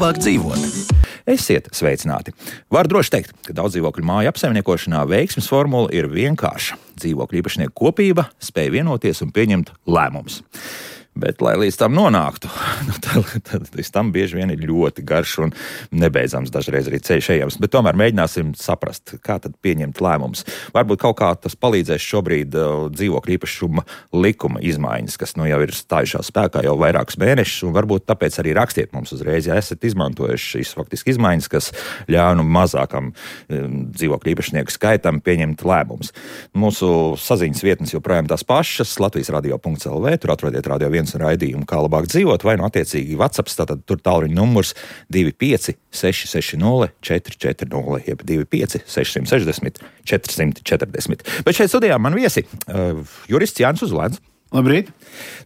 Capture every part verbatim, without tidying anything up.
labāk dzīvot. Esiet sveicināti! Var droši teikt, ka daudz dzīvokļu māju apsaimniekošanā veiksmes formula ir vienkārša. Dzīvokļu īpašnieku kopība spēj vienoties un pieņemt lēmumus. Bet, lai līdz tam nonāktu, nu, tad, tad līdz tam bieži vien ir ļoti garš un nebeidzams dažreiz arī ceļš ejams. Bet tomēr mēģināsim saprast, kā tad pieņemt lēmumus. Varbūt kaut kā tas palīdzēs šobrīd uh, dzīvokļu īpašuma likuma izmaiņas, kas nu jau ir stājušās spēkā jau vairākus mēnešus, un varbūt tāpēc arī rakstiet mums uzreiz, ja esat izmantojuši šīs faktiski izmaiņas, kas ļauj nu mazākam um, dzīvokļu īpašnieku skaitam pieņemt lēmumus. Mūsu saziņas vietnes joprojām tās pašas, Latvijas radio punkts el vē, tur atrodiet radio viens un raidījumu, kā labāk dzīvot, vai no attiecīgi WhatsApp, tātad tur tālruņa numurs divi pieci seši seši nulle četri četri nulle, jeb divi pieci seši seši nulle četri četri nulle. Bet šeit studijā man viesi uh, jurists Jānis Uzlēns. Labrīt.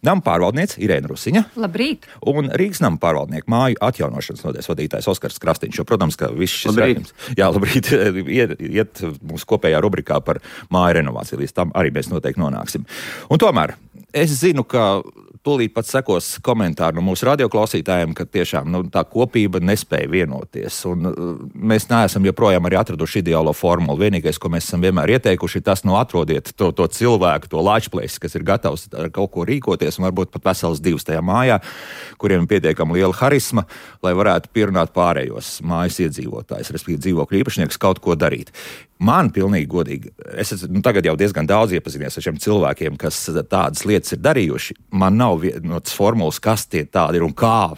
Nama pārvaldniece Irēna Rusiņa. Labrīt. Un Rīgas nama pārvaldnieku māju atjaunošanas nodaļas vadītājs Oskars Krastīņš. Jo, protams, ka viss šis raidījums, jā, labrīt, iet, iet mūsu kopējā rubrikā par māju renovāciju. Līdz tam arī mēs noteikti nonāksim. Un tomēr es zinu, ka tūlīt pat sekos komentāri no mūsu radioklausītājiem, ka tiešām nu, tā kopība nespēja vienoties. Un uh, mēs neesam joprojām arī atraduši ideālo formulu. Vienīgais, ko mēs esam vienmēr ieteikuši, ir tas, nu, atrodiet to, to cilvēku, to lāčplēsi, kas ir gatavs ar kaut ko rīkoties, un varbūt pat vesels divs tajā mājā, kuriem ir pietiekama liela harisma, lai varētu pierunāt pārējos mājas iedzīvotājus, respektīvi dzīvokļu īpašniekus kaut ko darīt. Man pilnīgi godīgi, es esmu nu, tagad jau diezgan daudz iepazinies ar šiem cilvēkiem, kas tādas lietas ir darījuši. Man nav vienotas formulas, kas tie tādi ir un kā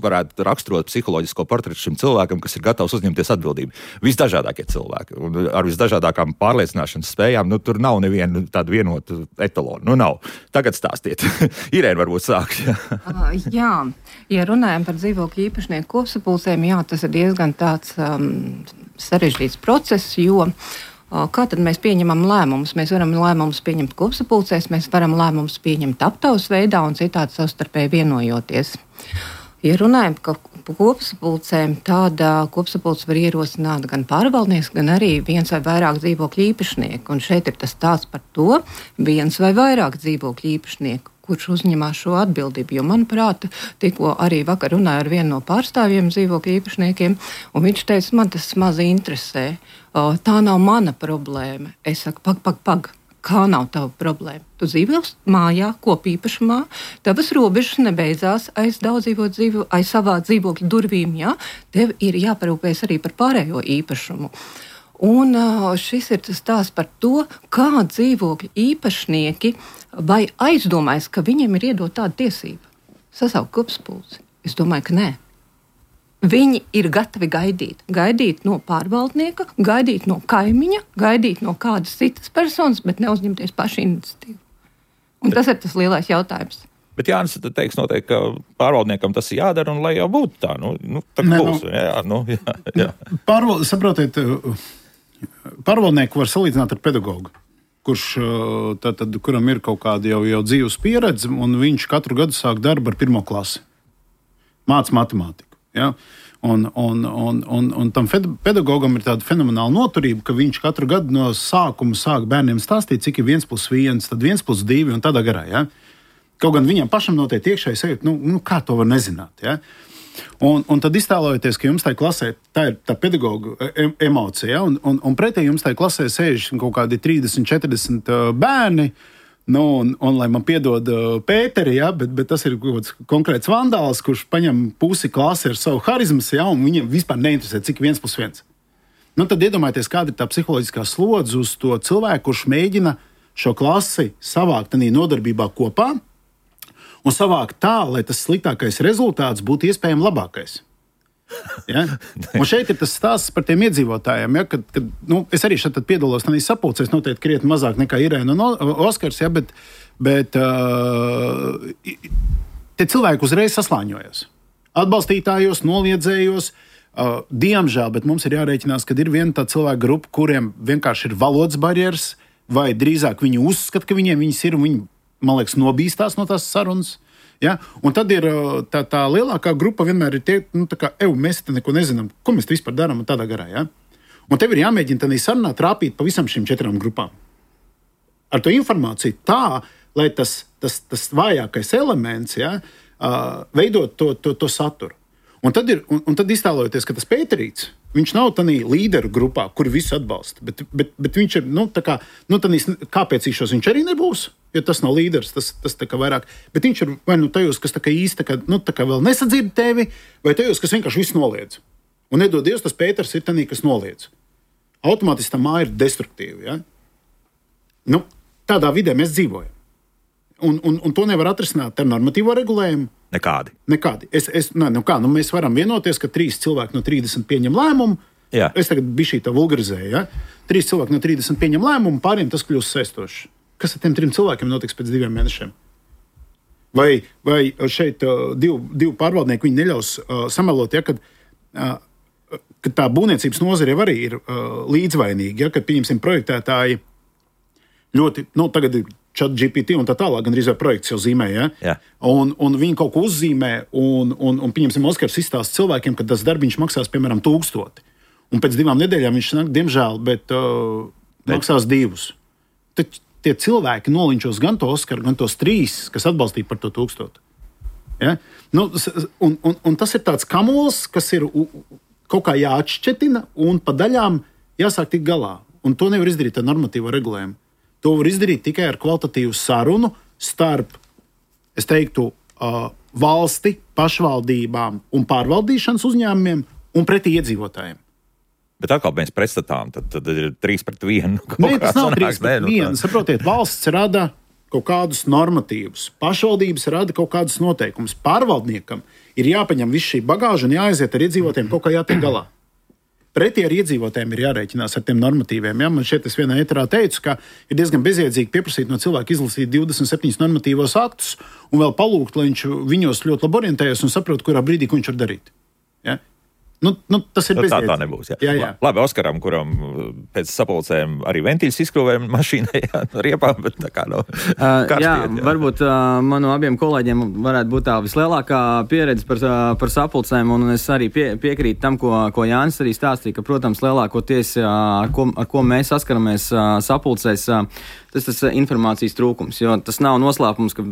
varētu raksturot psiholoģisko portretu šim cilvēkam, kas ir gatavs uzņemties atbildību. Visdažādākie cilvēki un ar visdažādākām pārliecināšanas spējām, nu tur nav neviena tāda vienota etalona. Nu nav. Tagad stāstiet. Irēna varbūt sāks. uh, jā, ja runājam par dzīvokļu īpašnieku kopsapulcēm, jā, tas ir diezgan tāds um, sarežģīts process, jo uh, kā tad mēs pieņemam lēmumus? Mēs varam lēmumus pieņemt kopsapulcēs, mēs varam lēmumus pieņemt aptaujas veidā un citādi savstarpēji vienojoties. Ja runājam par kopsapulcēm, tāda kopsapulce var ierosināt gan pārvaldnieks, gan arī viens vai vairāk dzīvokļu īpašnieku. Un šeit ir tas stāsts par to, viens vai vairāk dzīvokļu īpašnieku, kurš uzņemās šo atbildību. Jo, manuprāt, tikko arī vakar runāju ar vienu no pārstāvjiem dzīvokļu īpašniekiem, un viņš teica, man tas maz interesē. Tā nav mana problēma. Es saku, pag, pag, pag. Kā nav tava problēma? Tu dzīvo mājā, kopīpašumā, tavas robežas nebeidzās aiz daudzdzīvot dzīvo, aiz savā dzīvokļa durvīm, jā? Tev ir jāparūpēs arī par pārējo īpašumu. Un šis ir tas stāsts par to, kā dzīvokļu īpašnieki vai aizdomājas, ka viņiem ir iedot tādu tiesību. Sasaukt kopsapulci. Es domāju, ka nē. Viņi ir gatavi gaidīt. Gaidīt no pārvaldnieka, gaidīt no kaimiņa, gaidīt no kādas citas personas, bet neuzņemties pašu iniciatīvu. Un tas ir tas lielais jautājums. Bet Jānis teiks noteikti, ka pārvaldniekam tas ir jādara, un lai jau būtu tā. Nu, nu, tā ne, būs. Nu, jā, nu, jā, jā. Pārvald, saprotiet, pārvaldnieku var salīdzināt ar pedagogu, kurš, tā, tad, kuram ir kaut kāda jau, jau dzīves pieredze, un viņš katru gadu sāk darbu ar pirmo klasi. Māc matemātiku. Ja? Un, un, un, un, un tam pedagogam ir tāda fenomenāla noturība, ka viņš katru gadu no sākuma sāk bērniem stāstīt, cik ir viens plus viens, tad viens plus divi un tādā garā. Ja? Kaut gan viņam pašam noteikti iekšēji sajūt, nu, nu kā to var nezināt. Ja? Un, un tad iztēlojieties, ka jums tajā klasē tā ir tā pedagoga emocija, ja? un, un, un pretī jums tajā klasē sēž kaut kādi trīsdesmit, četrdesmit bērni. Nu, un, un, lai man piedod uh, Pēteri, ja, bet, bet tas ir kaut kāds konkrēts vandāls, kurš paņem pusi klasi ar savu harizmas, ja, un viņam vispār neinteresē, cik viens plus viens. Nu, tad iedomājieties, kāda ir tā psiholoģiskā slodze uz to cilvēku, kurš mēģina šo klasi savākt tādā nodarbībā kopā un savākt tā, lai tas sliktākais rezultāts būtu iespējami labākais. Ja? Un šeit ir tas stāsts par tiem iedzīvotājiem, ja? kad, kad nu, es arī šeit piedalos tādā sapulcē, es noteikti krietni mazāk nekā Irēna un Oskars, ja? bet, bet uh, tie cilvēki uzreiz saslāņojas. Atbalstītājos, noliedzējos, uh, diemžēl, bet mums ir jārēķinās, ka ir viena tā cilvēka grupa, kuriem vienkārši ir valodas barjeras, vai drīzāk viņi uzskata, ka viņiem viņas ir, un viņi, man liekas, nobīstās no tās sarunas. Ja? Un tad ir tā, tā lielākā grupa vienmēr ir tie, nu, tā kā, ev, mēs te neko nezinām, ko mēs te vispār darām un tādā garā. Ja? Un tev ir jāmēģina tādā sarunā trāpīt pa visam šīm četrām grupām. Ar to informāciju tā, lai tas, tas, tas vājākais elements, ja, veidot to, to, to saturu. Un tad, ir, un, un tad iztēlojoties, ka tas Pēterīts, viņš nav tādā līderu grupā, kuri visu atbalsta, bet, bet, bet viņš ir, nu, tā kā, nu, tādīs, kāpēc īšos viņš arī nebūs, ja tas nav līderis, tas, tas tā kā vairāk, bet viņš ir vai nu tajos, kas tā kā īsti, tā kā, nu, tā kā vēl nesadzird tevi, vai tajos, kas vienkārši visu noliedz. Un nedod Dievs, tas Pēters ir tādā, kas noliedz. Automātiski tā māja ir destruktīva, ja? Nu, tādā vidē mēs dzīvojam. Un, un, un to nevar atrisināt ar normatīvo regulējumu. Nekādi. Nekādi. Es, es, ne, nu kā, nu mēs varam vienoties, ka trīs cilvēki no trīsdesmit pieņem lēmumu. Jā. Es tagad biju šī tā vulgarizēju. Ja? Trīs cilvēki no trīsdesmit pieņem lēmumu, pāriem tas kļūst saistošs. Kas ar tiem trim cilvēkiem notiks pēc diviem mēnešiem? Vai, vai šeit uh, divu, divu pārvaldnieku viņi neļaus uh, samelot, ja, kad, uh, kad tā būvniecības nozare jau arī ir uh, līdzvainīga, ja, kad, pieņemsim, projektētāji ļoti, nu, tagad ir ChatGPT un tā tālāk, gan arī projekts jau zīmē, ja? Jā. Un, un viņi kaut ko uzzīmē, un, un, un pieņemsim, Oskars izstāsta cilvēkiem, ka tas darbiņš maksās, piemēram, tūkstoti. Un pēc divām nedēļām viņš nāk, diemžēl, bet uh, maksās divus. Tad tie cilvēki nolinčos gan to Oskaru, gan tos trīs, kas atbalstīja par to tūkstotu. Ja? Nu, un, un, un tas ir tāds kamols, kas ir kaut kā jāatšķetina un pa daļām jāsāk tikt galā. Un to nevar izdarīt ar normatīvo regulējumu. To var izdarīt tikai ar kvalitatīvu sarunu starp, es teiktu, uh, valsti, pašvaldībām un pārvaldīšanas uzņēmumiem un pretī iedzīvotājiem. Bet atkal mēs pretstatām, tad, tad ir trīs pret vienu. Nē, tas nav trīs pret vienu. Saprotiet, valsts rada kaut kādus normatīvus, pašvaldības rada kaut kādus noteikumus. Pārvaldniekam ir jāpaņem viss šī bagāža un jāaiziet ar iedzīvotājiem kaut kā jātiek galā. Pretī ar iedzīvotājiem ir jārēķinās ar tiem normatīviem. Ja? Man šeit es vienā ēterā teicu, ka ir diezgan bezjēdzīgi pieprasīt no cilvēka izlasīt divdesmit septiņus normatīvos aktus un vēl palūgt, lai viņš viņos ļoti labi orientējas un saprot, kurā brīdī ko viņš var darīt. Ja? Nu, nu, tas ir nu, tā, bezjēdzīgi. tā nebūs. Jā. Jā, jā. Labi, Oskaram, kuram pēc sapulcēm arī ventiļus izskrūvēja mašīnai ar riepām, bet tā kā nav uh, karstiet. Jā, jā, varbūt uh, manu abiem kolēģiem varētu būt tā vislielākā pieredze par, uh, par sapulcēm, un es arī pie, piekrītu tam, ko, ko Jānis arī stāstīja, ka, protams, lielākoties, uh, ar, ko, ar ko mēs saskaramies uh, sapulcēs, uh, tas tas informācijas trūkums, jo tas nav noslēpums, ka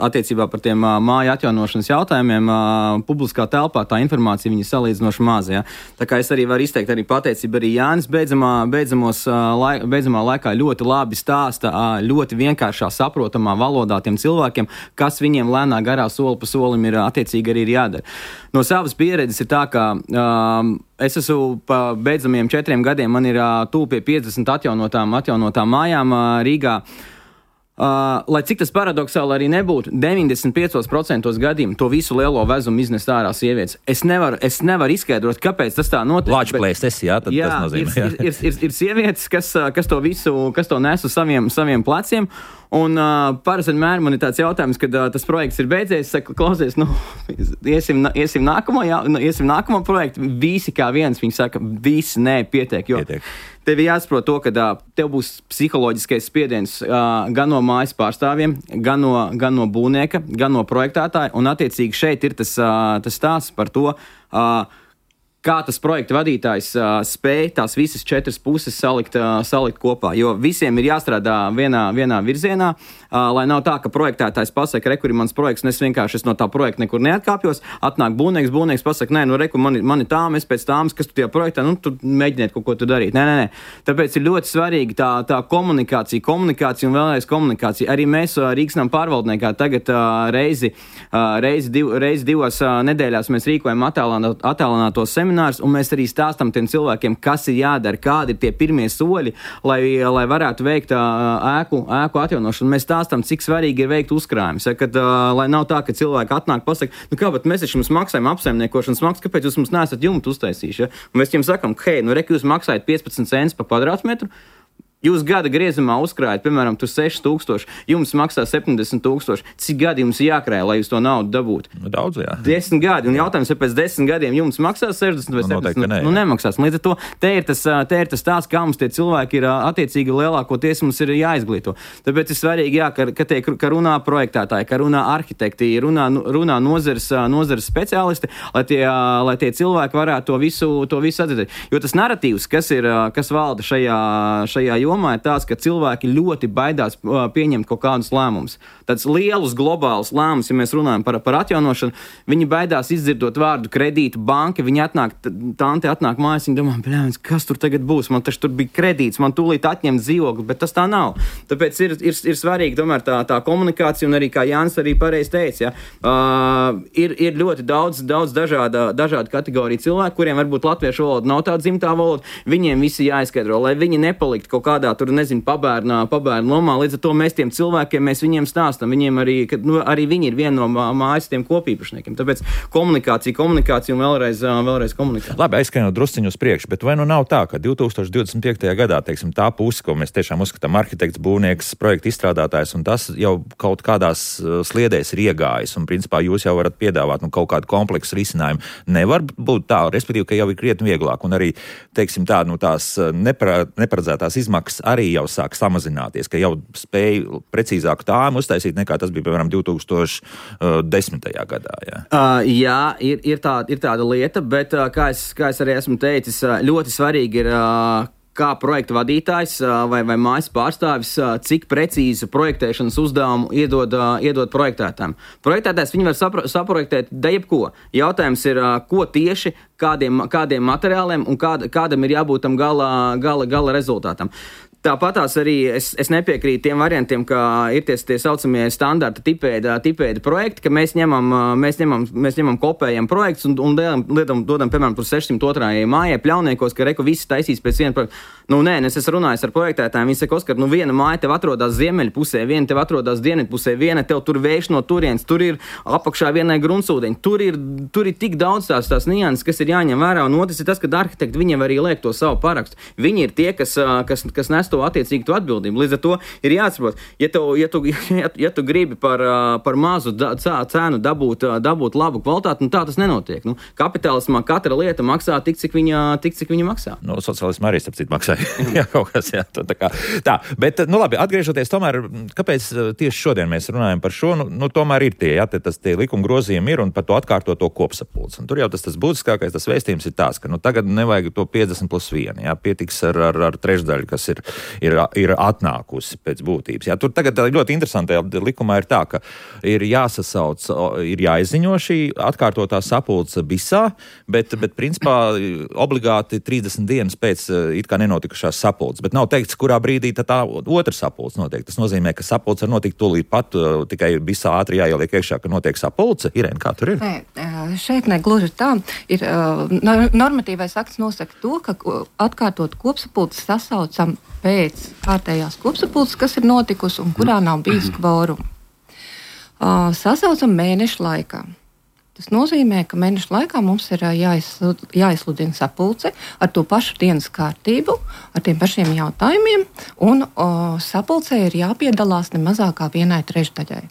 attiecībā par tiem uh, māju atjaunošanas jautājumiem uh, publiskā telpā tā informācija viņa salīdzinoši maz. Ja? Tā kā es arī varu izteikt arī pateicību arī Jānis beidzamā, beidzamos, uh, laik, beidzamā laikā ļoti labi stāsta, uh, ļoti vienkāršā saprotamā valodā tiem cilvēkiem, kas viņiem lēnā garā soli pa solim ir uh, attiecīgi arī ir jādara. No savas pieredzes ir tā, ka um, es esmu pa beidzamiem četriem gadiem, man ir uh, tūp pie piecdesmit atjaunotām, atjaunotām mājām uh, Rīgā. Uh, lai cik tas paradoksāli arī nebūtu, deviņdesmit piecos procentos gadījumu to visu lielo vezumu iznes ārā sievietes. Es nevaru, es nevaru izskaidrot, kāpēc tas tā notiek. Lāčplēstes, jā, tad jā, tas nozīmē. Jā, ir, ir, ir, ir sievietes, kas, kas to visu, kas to nes uz saviem, saviem pleciem. Un uh, parasti vienmēr man ir tāds jautājums, kad uh, tas projekts ir beidzies, es saku, klausies, nu, iesim, iesim, nākamo, jā, iesim nākamo projektu, visi kā viens, viņi saka, visi nē, pietiek, jo pietiek. Tev jāsaprot to, ka uh, tev būs psiholoģiskais spiediens uh, gan no mājas pārstāvjiem, gan no, gan no būvnieka, gan no projektētāja, un attiecīgi šeit ir tas, uh, tas stāsts par to, uh, kā tas projekta vadītājs uh, spēj tās visas četras puses salikt, uh, salikt kopā. Jo visiem ir jāstrādā vienā, vienā virzienā, uh, lai nav tā, ka projektētājs pasaka, re, kur ir mans projekts, un es vienkārši es no tā projekta nekur neatkāpjos. Atnāk būvnieks, būvnieks pasaka, nē, nu, re, kur man, man ir tām, es pēc tāmas, kas tu tajā projektā, nu, tu mēģiniet kaut ko tu darīt. Nē, nē, nē. Tāpēc ir ļoti svarīgi tā, tā komunikācija, komunikācija un vēlreiz komunikācija. Arī mēs uh, Rīgsnam pārvaldniekā tagad uh, reizi, uh, reizi, div, reizi divos uh, nedēļās mēs rīkojam attālināto semināru. Un mēs arī stāstam tiem cilvēkiem, kas ir jādara, kādi ir tie pirmie soļi, lai, lai varētu veikt ēku, ēku atjaunošanu. Mēs stāstam, cik svarīgi ir veikt uzkrājumus. Ja, kad, lai nav tā, ka cilvēki atnāk pasaka, nu kā, bet mēs taču jums maksājam apsaimniekošanas maksu, kāpēc jūs mums neesat jumtu uztaisījuši? Ja? Un mēs jums sakam, hei, nu rek, jūs maksājat piecpadsmit centus par kvadrātmetru, jūs gada griezumā uzkrājat, piemēram, tur seši tūkstoši, jums maksā septiņdesmit tūkstoši. Cik gadi jums jākrāj, lai jūs to naudu dabūtu? Daudz, jā. Desmit gadi. Un jautājums, ja pēc desmit gadiem jums maksās sešdesmit vai septiņdesmit, nu, nu nemaksās. Līdz ar to te ir tas, te ir tas tās, kā mums tie cilvēki ir attiecīgi lielākoties mums ir jāizglīto. Tāpēc ir svarīgi, jā, ka, ka, tie, ka runā projektētāji, ka runā arhitekti, runā, runā nozares, nozares speciālisti, lai tie, lai tie cilvēki varētu to visu, to visu atzīst. Jo tas naratīvs, kas ir, kas valda šajā, šajā jomā ir tāds, ka cilvēki ļoti baidās pieņemt kaut kādus lēmumus. Tāds lielus globālus lēmumus, ja mēs runājam par, par atjaunošanu, viņi baidās izdzirdot vārdu kredītu banka, viņi atnāk, tante atnāk mājās, viņi domā, bļāvis, kas tur tagad būs, man taču tur bija kredīts, man tūlīt atņemt dzīvokli, bet tas tā nav. Tāpēc ir, ir, ir svarīgi tomēr tā, tā komunikācija, un arī, kā Jānis arī pareizi teica, ja, uh, ir, ir ļoti daudz, daudz dažāda, dažāda kategorija cilvēku, kuriem varbūt latviešu valoda nav tāda dzimtā valoda, viņiem visi jāizskaidro, lai viņi nepalikt kaut kādā, tur, nezinu, pabērnā, pabērnu lomā, līdz ar to mēs tiem cilvēkiem, mēs viņiem stāstam, viņiem arī, ka, nu, arī viņi ir viena no mājas tiem kopīpašniekiem. Tāpēc komunikācija, komunikācija un vēlreiz, vēlreiz komunikācija. Labi, aizskrien drusciņu uz priekšu, bet vai nu nav tā, ka divi tūkstoši divdesmit piektajā gadā, teiksim, tā puse, ko mēs tiešām uzskatām arhitekts, būvnieks, projekta izstrādātājs, un tas jau kaut kādās sliedēs ir iegājis, un principā jūs jau varat piedāvāt nu, kaut kādu kompleksu risinājumu. Nevar būt tā, respektīvi, ka jau ir krietni vieglāk, un arī, teiksim, tā, nu, tās nepara, neparedzētās izmaksas arī jau sāk samazināties, ka jau spēj precīzāku tāmu uztaisīt nekā tas bija, piemēram, divi tūkstoši desmitajā gadā. Jā, uh, jā ir, ir, tā, ir tāda lieta, bet, uh, kā, es, kā es arī esmu teicis, uh, ļoti svarīgi ir, uh, kā projekta vadītājs uh, vai, vai mājas pārstāvis, uh, cik precīzu projektēšanas uzdevumu iedod, uh, iedod projektētājiem. Projektētājs viņi var sapro, saprojektēt da jebko. Jautājums ir, uh, ko tieši, kādiem, kādiem materiāliem un kāda, kādam ir jābūt tam gala, gala, gala rezultātam. Tāpatās arī es, es nepiekrītu tiem variantiem, ka ir tie, tie saucamie standarta tipēda, tipēda projekti, ka mēs ņemam, mēs ņemam, mēs ņemam kopējam projekts un, un dodam, dodam, piemēram, tur sešsimt otrajai mājai pļauniekos, ka reku visi taisīs pēc viena projekta. Nu, nē, es esmu runājis ar projektētājiem, viņi saka, Oskar, nu viena māja tev atrodas ziemeļu pusē, viena tev atrodas dienvidu pusē, viena tev tur vējš no turienes, tur ir apakšā vienai gruntsūdeņi, tur ir, tur ir tik daudz tās, tās nianses, kas ir jāņem vērā, un otrs ir tas, ka arhitekti viņiem arī liek to savu parakstu. Viņi ir tie, kas, kas, kas nes to attiecīgi to atbildību. Līdz ar to ir jāatsaprot, ja tu, ja tu, ja, ja tu gribi par, par mazu da, cēnu dabūt, dabūt labu kvalitāti, nu tā tas nenotiek. Nu, kapitālismā katra lieta maksā tik, cik viņa, tik, cik viņa maksā. No sociālismā arī starp citu maksā. jā, kaut kas, jā, tā, tā kā. Tā, bet, nu labi, atgriežoties tomēr, kāpēc tieši šodien mēs runājam par šo, nu, nu tomēr ir tie, jā, te, tas tie likuma grozījumi ir un par to atkārtoto kopsapulci. Un tur jau tas, tas būtiskākais, tas vēstījums ir tās, ka, nu, tagad nevajag to piecdesmit plus vienu, jā, pietiks ar, ar, ar trešdaļu, kas ir, ir, ir atnākusi pēc būtības. Jā, tur tagad ļoti interesantajā likumā ir tā, ka ir jāsasauc, ir jāizziņo šī atkārtotā sapulce bisā, bet, bet principā obligāti trīsdesmit dienas pēc it kā nenotikušās sapulces, bet nav teikts, kurā brīdī tā otra sapulce notiek. Tas nozīmē, ka sapulce var notikt tūlīt pat, tikai visā ātri jāieliek iekšā, ka notiek sapulce. Irēna, kā tur ir? Nē, šeit negluži tā. Ir, normatīvais akts nosaka to, ka atkārtot kopsapulces sasaucam pēc kārtējās kopsapulces, kas ir notikusi un kurā nav bijis kvoruma. Sasaucam mēnešu laikā. Tas nozīmē, ka mēnešu laikā mums ir jāizslud, jāizsludina sapulce ar to pašu dienas kārtību, ar tiem pašiem jautājumiem, un o, sapulcē ir jāpiedalās ne mazākā vienai trešdaļai.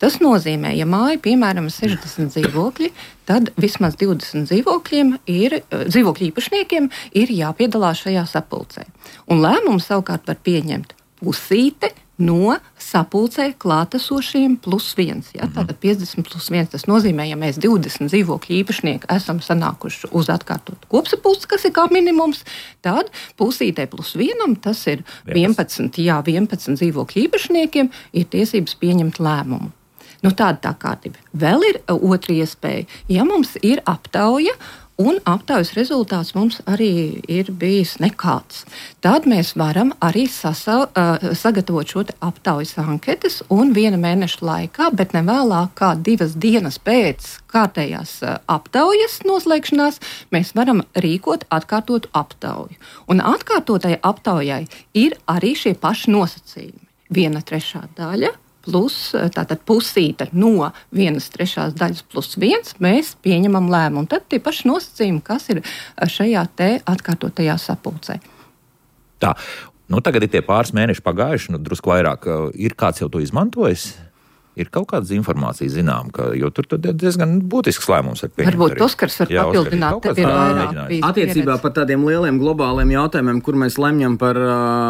Tas nozīmē, ja māja, piemēram, sešdesmit dzīvokļi, tad vismaz divdesmit dzīvokļiem ir, dzīvokļu īpašniekiem ir jāpiedalās šajā sapulcē. Un lēmumu savukārt var pieņemt pusīte no sapulcē klātesošiem plus viens. Ja? Tātad piecdesmit plus viens. Tas nozīmē, ja mēs divdesmit dzīvokļu īpašnieki esam sanākuši uz atkārtotu kopsapulci, kas ir kā minimums, tad pusītē plus vienam, tas ir vienpadsmit, jā, vienpadsmit dzīvokļu īpašniekiem ir tiesības pieņemt lēmumu. Nu, tāda tā kārtība. Vēl ir otra iespēja. Ja mums ir aptauja, un aptaujas rezultāts mums arī ir bijis nekāds, tad mēs varam arī sasa, uh, sagatavot šo te aptaujas anketas un viena mēneša laikā, bet ne vēlāk kā divas dienas pēc kārtējās uh, aptaujas noslēgšanās, mēs varam rīkot atkārtotu aptauju. Un atkārtotai aptaujai ir arī šie paši nosacījumi. Viena trešā daļa plus tātad pusīte no vienas trešās daļas plus viens, mēs pieņemam lēmumu. Tad tie paši nosacījumi, kas ir šajā te atkārtotajā sapulcē. Tā, nu tagad ir tie pāris mēneši pagājuši, nu drusku vairāk. Ir kāds jau to izmantojis? Ir kaut kāda informācija zinām, ka, jo tur diezgan būtisks lēmums ar pieņemt. Varbūt Oskars var Jā, papildināt, tev ir vairāk bijis attiecībā par tādiem lieliem globāliem jautājumiem, kur mēs lemjam par,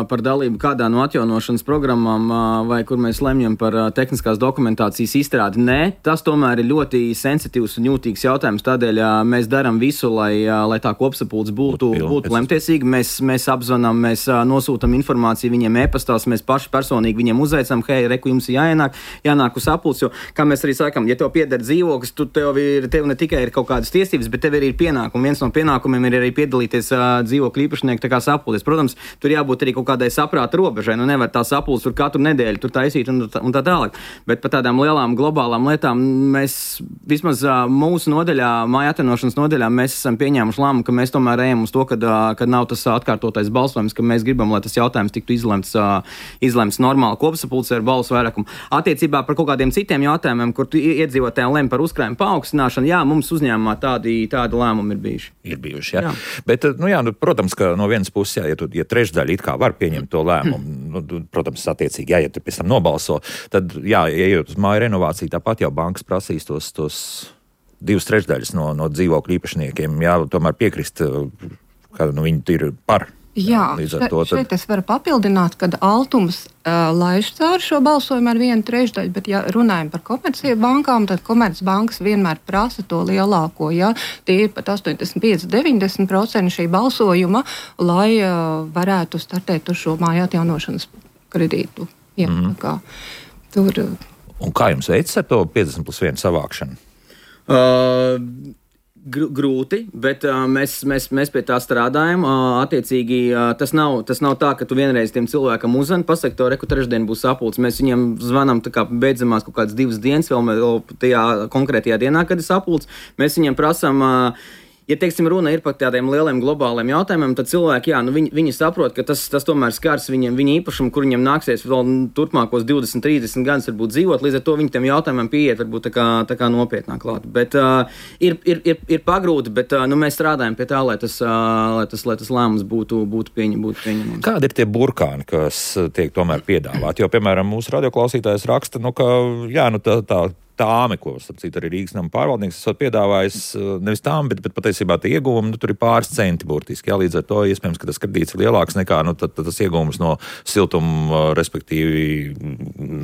par dalību kādā no atjaunošanas programmām vai kur mēs lemjam par tehniskās dokumentācijas izstrādi. Nē, tas tomēr ir ļoti sensitīvs un jūtīgs jautājums, tādēļ mēs darām visu, lai, lai tā kopsapulce būtu, būtu lemtiesīga. Mēs, mēs apzvanām, mēs nosūtam informāciju viņiem e-pastās, mēs paši personīgi viņiem uzveicam, hei, reku, jums ir jāienāk, jānāk uz sapulci, jo, kā mēs arī sakam, ja tev pieder dzīvoklis, tu tev, ir, tev ne tikai ir kaut kādas tiesības, bet tev ir pienākumi. Viens no pienākumiem ir arī piedalīties uh, dzīvokļu īpašnieku tā kā sapulcēs. Protams, tur jābūt arī kaut kādai saprāta robežai. Nu, nevar tā sapulce tur katru nedēļu tur taisīt un, un tā tālāk. Bet par tādām lielām globālām lietām mēs vismaz uh, mūsu nodaļā, māja atjaunošanas nodaļā, mēs esam pieņēmuši lēmumu, ka mēs tomēr ejam uz to, kad, uh, kad nav tas atkārtotais balsojums, ka mēs gribam, lai tas jautājums tiktu izlemts, uh, izlemts normāli kopsapulcē ar balsu vairākumu. Attiecībā par kaut kādiem citiem jautājumiem, kur iedzīvotājiem lem par uzkrājumu paaugstināšanu, jā, mums uzņēmumā tādi, tādi lēmumi ir bijuši. Ir bijuši, jā. jā. Bet, nu jā, nu, protams, ka no vienas puses, jā, ja, tu, ja trešdaļa it kā var pieņemt to lēmumu, nu, protams, attiecīgi, jā, ja tu pēc tam nobalso, tad, jā, ejot uz māju renovāciju, tāpat jau bankas prasīs tos, tos divas trešdaļas no, no dzīvokļu īpašniekiem, jā, tomēr piekrist, ka nu, viņi ir par. Jā, še, to, tad... šeit es varu papildināt, kad Altums uh, laiž cauri šo balsojumu ar vienu trešdaļu, bet ja runājam par komerciju bankām, tad komercbankas vienmēr prasa to lielāko, ja tie ir pat astoņdesmit pieci līdz deviņdesmit procenti šī balsojuma, lai uh, varētu startēt uz šo māju atjaunošanas kredītu. Jā, mm. kā, tur, uh... Un kā jums veids ar to piecdesmit plus vienu savākšanu? Uh... Grūti, bet uh, mēs, mēs, mēs pie tā strādājam. Uh, attiecīgi, uh, tas, nav, tas nav tā, ka tu vienreiz tiem cilvēkam uzzvani, pasaki, to reku trešdien būs sapulce. Mēs viņiem zvanām tā kā beidzamās kaut kādas divas dienas, vēl, vēl tajā konkrētajā dienā, kad ir sapulce. Mēs viņiem prasām. Uh, Ja, teiksim, runa ir par tādiem lieliem globāliem jautājumiem, tad cilvēki, jā, nu viņi, viņi saprot, ka tas, tas tomēr skars viņiem, viņa īpašumu, kur viņiem nāksies vēl turpmākos divdesmit, trīsdesmit gadus varbūt dzīvot, līdz ar to viņi tiem jautājumiem pieiet varbūt tā kā, tā kā nopietnāk klāt. Bet uh, ir, ir, ir, ir pagrūti, bet uh, nu, mēs strādājam pie tā, lai tas, uh, lai tas, lai tas lēmums būtu, būtu, pieņem, būtu pieņemams. Kādi ir tie burkāni, kas tiek tomēr piedāvāti? Jo, piemēram, mūsu radioklausītājs raksta, nu, ka, jā, nu, tā, tā tāmi, ko, starp citu, arī Rīgas nama pārvaldnieks esot piedāvājis, nevis tām, bet, bet patiesībā tie ieguvumi, nu, tur ir pāris centi burtiski, jā, līdz ar to iespējams, ka tas kredīts ir lielāks nekā, nu, tad, tad tas ieguvums no siltuma, respektīvi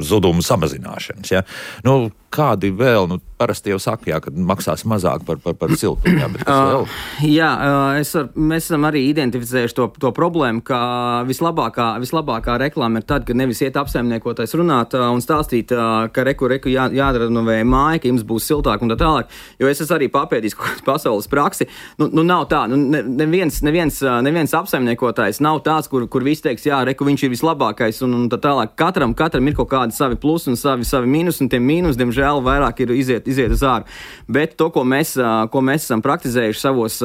zudumu samazināšanas, jā. Nu, kādi vēl, nu, parasti jau saka, jā, ka maksās mazāk par, par, par siltumu, jā, bet kas vēl? Uh, jā, uh, es ar, mēs esam arī identificējuši to, to problēmu, ka vislabākā, vislabākā reklāma ir tad, kad nevis iet apsaimniekotais runāt uh, un stāstīt, uh, ka reku, reku jā, jādara no vai māja, ka jums būs siltāk un tā tālāk, jo es esmu arī papētījis kaut kādu pasaules praksi. Nu, nu nav tā, nu, ne, neviens, neviens, neviens apsaimniekotājs nav tāds, kur, kur viss teiks, jā, reku, viņš ir vislabākais un, un tā tālāk. Katram, katram ir kaut kādi savi plusi un savi, savi mīnus, un tie mīnus, diemžēl, vairāk ir iziet, iziet uz āru. Bet to, ko mēs, ko mēs esam praktizējuši savos,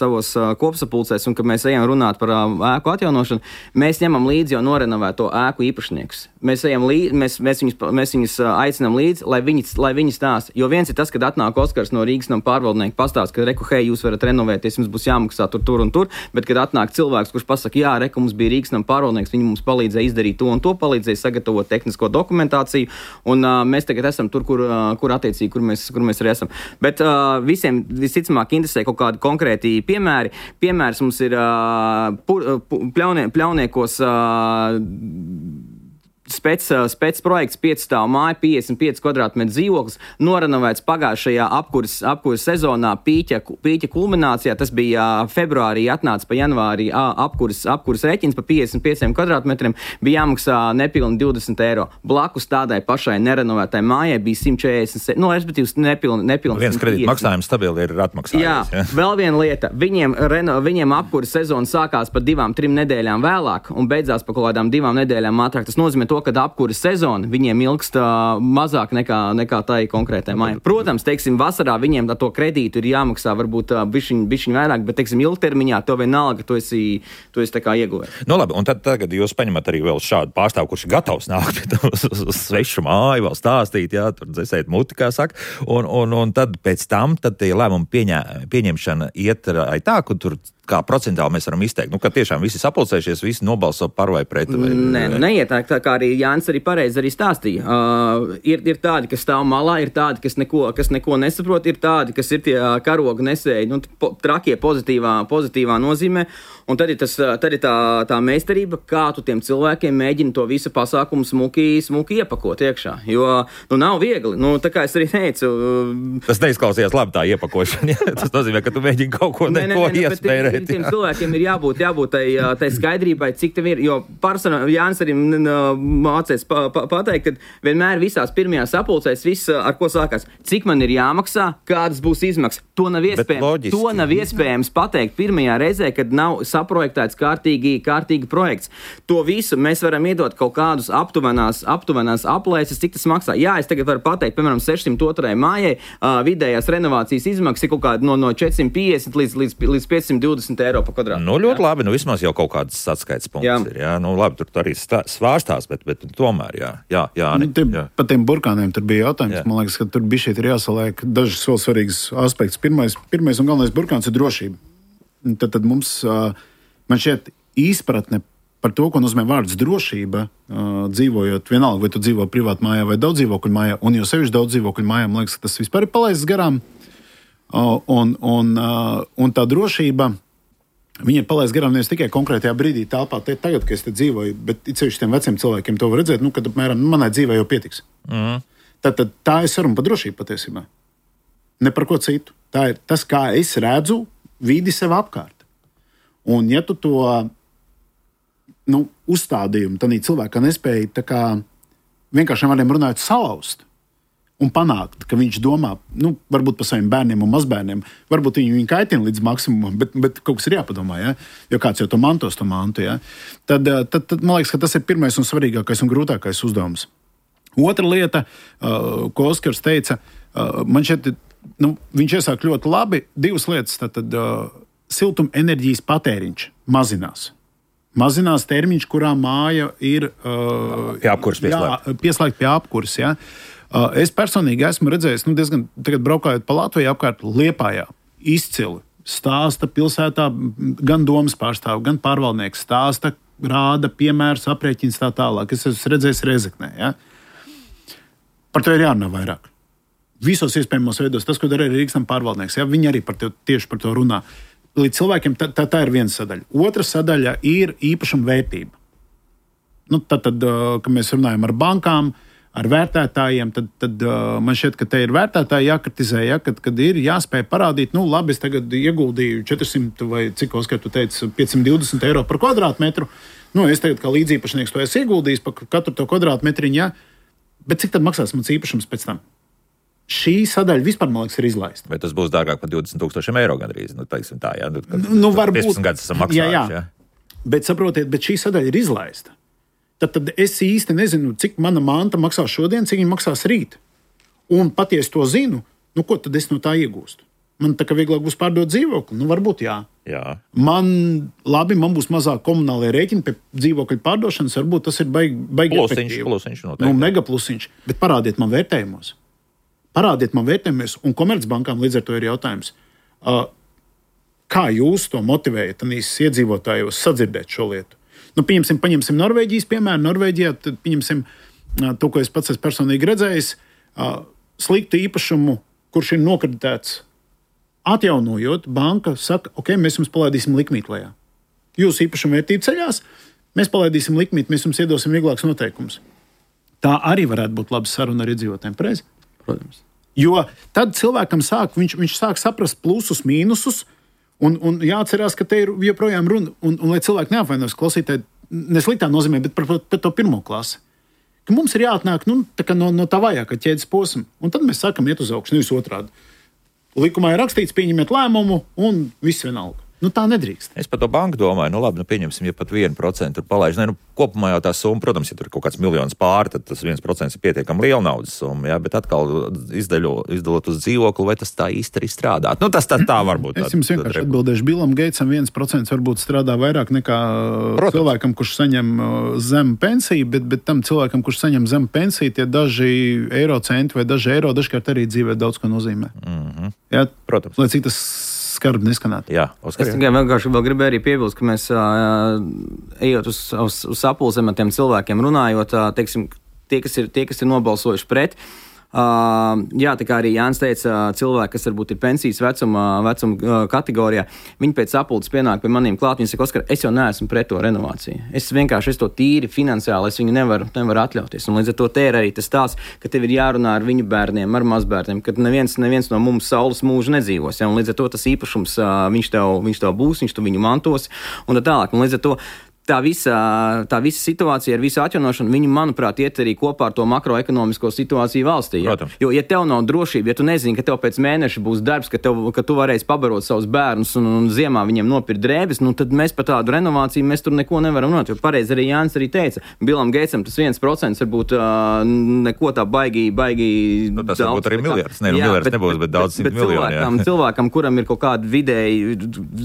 savos kopsapulcēs un ka mēs ejam runāt par ēku atjaunošanu, mēs ņemam līdzi jau norenovēto ēku īpašniekus. Mēs, ejam līdzi, mēs, mēs, viņus, mēs viņus aicinām līdzi, lai viņi lai viņi stāsta. Jo viens ir tas, kad atnāk Oskars no Rīgas nama pārvaldnieka pastāst, ka reku, hei, jūs varat renovēties, jums būs jāmaksā tur, tur un tur, bet kad atnāk cilvēks, kurš pasaka, jā, reku, mums bija Rīgas nama pārvaldnieks, viņi mums palīdzēja izdarīt to un to, palīdzēja sagatavot tehnisko dokumentāciju, un uh, mēs tagad esam tur, kur, uh, kur attiecīgi, kur mēs, kur mēs arī esam. Bet uh, visiem visticamāk interesē kaut kādi konkrēti piemēri. Piemērs mums ir uh, pur, uh, pļaunie, pļauniekos uh, Spēc, spēc projekts pieci stāvu māja, piecdesmit pieci kvadrātmetru dzīvoklis, norenovēts pagājušajā apkuras, apkuras sezonā pīķa, pīķa kulminācijā. Tas bija februārī, atnāca pa janvārī apkuras, apkuras reķins pa piecdesmit pieciem kvadrātmetriem, bija jāmaksā nepilni divdesmit eiro. Blakus tādai pašai nerenovētai mājai bija simt četrdesmit, no, respektīvi nepilni, nepilni. Viens kredīta maksājums stabili ir atmaksājies. Jā, ja? Vēl viena lieta. Viņiem, reno, viņiem apkuras sezona sākās pa divām, trim nedēļām vēlāk un beidzās pa kaut kādām divām nedēļām ātrāk. Tas nozīmē to, kad apkuras sezona viņiem ilgst uh, mazāk nekā, nekā tai konkrētai mājai. Protams, teiksim, vasarā viņiem to kredītu ir jāmaksā varbūt uh, bišķiņ, bišķiņ vairāk, bet, teiksim, ilgtermiņā to vienalga, tu esi, tu esi tā kā ieguvējis. Nu labi, un tad tagad jūs paņemat arī vēl šādu pārstāvu, kurš ir gatavs nākt uz, uz, uz svešu māju, vēl stāstīt, jā, tur dzesēt muti, kā saka, un, un, un tad pēc tam, tad tie lēmumu pieņē, pieņemšana iet tā, ka tur kā procentāli mēs varam izteikt? Nu, ka tiešām visi sapulcējušies, visi nobalso par vai pret? Vai, Nē, nu, neiet tā, tā kā arī Jānis arī pareizi arī stāstīja. Uh, ir, ir tādi, kas stāv malā, ir tādi, kas neko, kas neko nesaprot, ir tādi, kas ir tie karoga nesēji, nu, po, trakie pozitīvā, pozitīvā nozīmē. Un tad ir, tas, tad ir tā, tā meistarība, kā tu tiem cilvēkiem mēģini to visu pasākumu smuki, smuki iepakot iekšā. Jo nu, nav viegli. Nu, tā kā es arī teicu. Tas neizklausījās labi tā iepakošana. Ja? Tas nozīmē, ka tu mēģini kaut ko ne, neko iespērēt. Tiem, tiem cilvēkiem ir jābūt, jābūt tai, tai skaidrībai, cik tev ir. Jo pārsvarā Jānis arī mācēs pa, pa, pateikt, ka vienmēr visās pirmajās sapulcēs viss, ar ko sākās, cik man ir jāmaksā, kādas būs izmaksas. To nav iespējams, to nav iespējams pateikt pirmajā reizē, kad nav saprojektēts kārtīgi, kārtīgi projekts. To visu mēs varam iedot kaut kādus aptuvenās, aptuvenās aplēses, cik tas maksā. Jā, es tagad varu pateikt, piemēram, sešsimt otrai mājai uh, vidējās renovācijas izmaksas ir kaut kāda no, no četrsimt piecdesmit līdz, līdz, līdz piecsimt divdesmit eiro pa kvadrātu. Nu, ļoti jā. Labi, nu vismaz jau kaut kāds atskaits punkts jā. Ir. Jā, nu labi, tur arī stā, svārstās, bet, bet tomēr, jā, jā, jā. Nu, tie, jā. Par tiem burkāniem tur bija jautājums. Jā. Man liekas, ka tur bija šeit ir jāsaliek dažas vēl svarīgas aspekts. Pirmais, pirmais un galvenais burkāns ir drošība. Tad, tad mums, man šķiet, izpratne par to, ko nozīmē vārds drošība, dzīvojot vienalga, vai tu dzīvo privātu mājā vai daudz dzīvokļu mājā, un jau sevišķi daudz dzīvokļu mājā, man liekas, ka tas vispār ir palaists garām. Un, un, un tā drošība, viņa ir palaists garām nevis tikai konkrētajā brīdī telpā, te tagad, kad es te dzīvoju, bet it sevišķi tiem veciem cilvēkiem to var redzēt, nu, kad apmēram manai dzīvē jau pietiks. Mm. Tad, tad tā ir saruna par drošību patiesībā. Ne par ko citu. Tā ir tas, kā es redzu vidi sev apkārt. Un ja tu to nu, uzstādījumu tādā cilvēkā nespēji tā kā vienkārši vārdiem runājot salauzt un panākt, ka viņš domā, nu, varbūt par saviem bērniem un mazbērniem, varbūt viņi viņu kaitina līdz maksimumam, bet, bet kaut kas ir jāpadomā, ja? Jo kāds jau to mantos, to mantu, ja? tad, tad, tad man liekas, ka tas ir pirmais un svarīgākais un grūtākais uzdevums. Otra lieta, uh, ko Oskars teica, uh, man šeit, nu, viņš iesāk ļoti labi, divas lietas, tad, tad uh, siltuma enerģijas patēriņš mazinās. Mazinās termiņš, kurā māja ir uh, pie apkuras pieslēgta. Jā, pieslēgta pie apkuras, ja? Uh, es personīgi esmu redzējis, nu, diezgan tagad braukājot pa Latviju apkārt Liepājā, izcili stāsta pilsētā gan domas pārstāvi, gan pārvaldnieks stāsta, rāda piemērus, aprēķins tā tālāk. Es esmu redzējis Rezeknē, ja? Par to ir jārunā vairāk. Visos iespējamos veidos, tas, ko dara arī Rīgas pārvaldnieks, ja? Viņi arī par to, tieši par to runā. Līdz cilvēkiem tā, tā, tā ir viena sadaļa. Otra sadaļa ir īpašuma vērtība. Nu, tad, tad, kad mēs runājam ar bankām, ar vērtētājiem, tad, tad man šķiet, ka te ir vērtētāji jākritizē, ja, kad, kad ir jāspēj parādīt, nu, labi, es tagad ieguldīju četrsimt vai cik, Oskar, tu teici, piecsimt divdesmit eiro par kvadrātmetru. Nu, es tagad kā līdzīpašnieks to esmu ieguldījis par katru to kvadrātmetriņu, ja, bet cik tad maksās mans īpašums pēc tam? Šī sadaļa vispār, man liekas, ir izlaista. Vai tas būs dārgāk par divdesmit tūkstošiem eiro gandrīz? Nu, teiksim tā, jā. Nu, nu, varbūt. piecdesmit gadus esam maksājuši, jā. jā. jā. Bet saprotiet, bet šī sadaļa ir izlaista. Tad, tad es īsti nezinu, cik mana manta maksās šodien, cik viņa maksās rīt. Un patiesi to zinu, nu ko tad es no tā iegūstu? Man tā kā vieglāk būs pārdot dzīvokli? Nu, varbūt jā. jā. Man, labi, man būs mazāk komunālie rēķini pie dzīvokļu pārdošanas, varbūt tas ir baigi, baigi plusiņš, efektīvi. Plusiņš noteikti. Nu, mega plusiņš, bet parādiet man vērtējumos. Parādiet man vērtējumus, un Komercbankām līdz ar to ir jautājums, uh, kā jūs to motivējat iedzīvotājos sadzirdēt šo lietu? Nu, pieņemsim, paņemsim Norvēģijas piemēru. Norvēģijā tad pieņemsim uh, to, ko es pats esmu personīgi redzējis, uh, sliktu īpašumu, kurš ir nokreditēts. Atjaunojot, banka saka, ok, mēs jums palaidīsim likmīt lejā. Jūsu īpašuma vērtība ceļās, mēs palaidīsim likmīt, mēs jums iedosim vieglākus noteikumus. Tā arī varētu būt laba saruna ar iedzīvotājiem, pareizi? Protams. Jo tad cilvēkam sāk, viņš, viņš sāk saprast plusus, mīnusus, un, un jāatcerās, ka te ir joprojām runa, un, un lai cilvēki neapvainos klausītāji, nesliktā nozīmē, bet par, par to pirmo klasi. Ka mums ir jāatnāk nu, tā no, no tā vājākā ķēdes posma, un tad mēs sākam iet uz augšu, nevis otrādi. Likumā ir rakstīts, pieņemiet lēmumu, un viss vienalga. Nu, tā nedrīkst. Es par to banku domāju, nu labi, nu pieņemsim, ja pat vienu procentu tur palaiž. Ne, nu, kopumā jau tā summa, protams, ja tur ir kaut kāds miljons pāri, tad tas viens procents ir pietiekami liela naudas summa, jā, bet atkal izdaļo, izdalot uz dzīvokli, vai tas tā īsti arī strādāt. Nu, tas tā, tā varbūt. Es jums vienkārši atbildēšu, Billam Geitsam viens procents varbūt strādā vairāk nekā protams. Cilvēkam, kurš saņem zemu pensiju, bet, bet tam cilvēkam, kurš saņem zemu pensiju, tie daži eiro centi vai daži eiro dažkārt arī dzīvē daudz ko nozīmē. Mm-hmm. Jā, protams. Lai cik tas skarbi neskanētu. Jā, Oskar. Es tikai vienkārši vēl gribēju arī piebilst, ka mēs, uh, ejot uz, uz, uz sapulcēm ar tiem cilvēkiem runājot, uh, teiksim, tie, kas ir, tie, kas ir nobalsojuši pret, Uh, jā, tā kā arī Jānis teica, cilvēki, kas varbūt ir pensijas vecuma, vecuma uh, kategorijā, viņi pēc sapulces pienāk pie maniem klāt, viņi saka, Oskar, es jau neesmu pret to renovāciju. Es vienkārši es to tīri finansiāli, es viņu nevaru, nevaru atļauties. Un līdz ar to te ir arī tas tās, ka tev ir jārunā ar viņu bērniem, ar mazbērniem, ka neviens, neviens no mums saules mūža nedzīvos. Ja? Un līdz ar to tas īpašums, uh, viņš, tev, viņš tev būs, viņš tu viņu mantos un tā tālāk. Un līdz ar to Tā visa, tā visa situācija ar visu atjaunošanu, viņi, manuprāt, iet arī kopā ar to makroekonomisko situāciju valstī. Ja? Jo, ja tev nav drošība, ja tu nezini, ka tev pēc mēneša būs darbs, ka, tev, ka tu varēsi pabarot savus bērnus un, un ziemā viņiem nopirkt drēbes, nu tad mēs par tādu renovāciju mēs tur neko nevaram runāt. Jo pareizi arī Jānis arī teica, Bilam Geitsam tas viens procents varbūt uh, neko tā baigi, baigi nu, tas daudz. Varbūt arī miljards, ne, nu, miljards bet, nebūs, bet daudz simt miljoni. Cilvēkam, cilvēkam, kuram ir kaut kādi vidēji,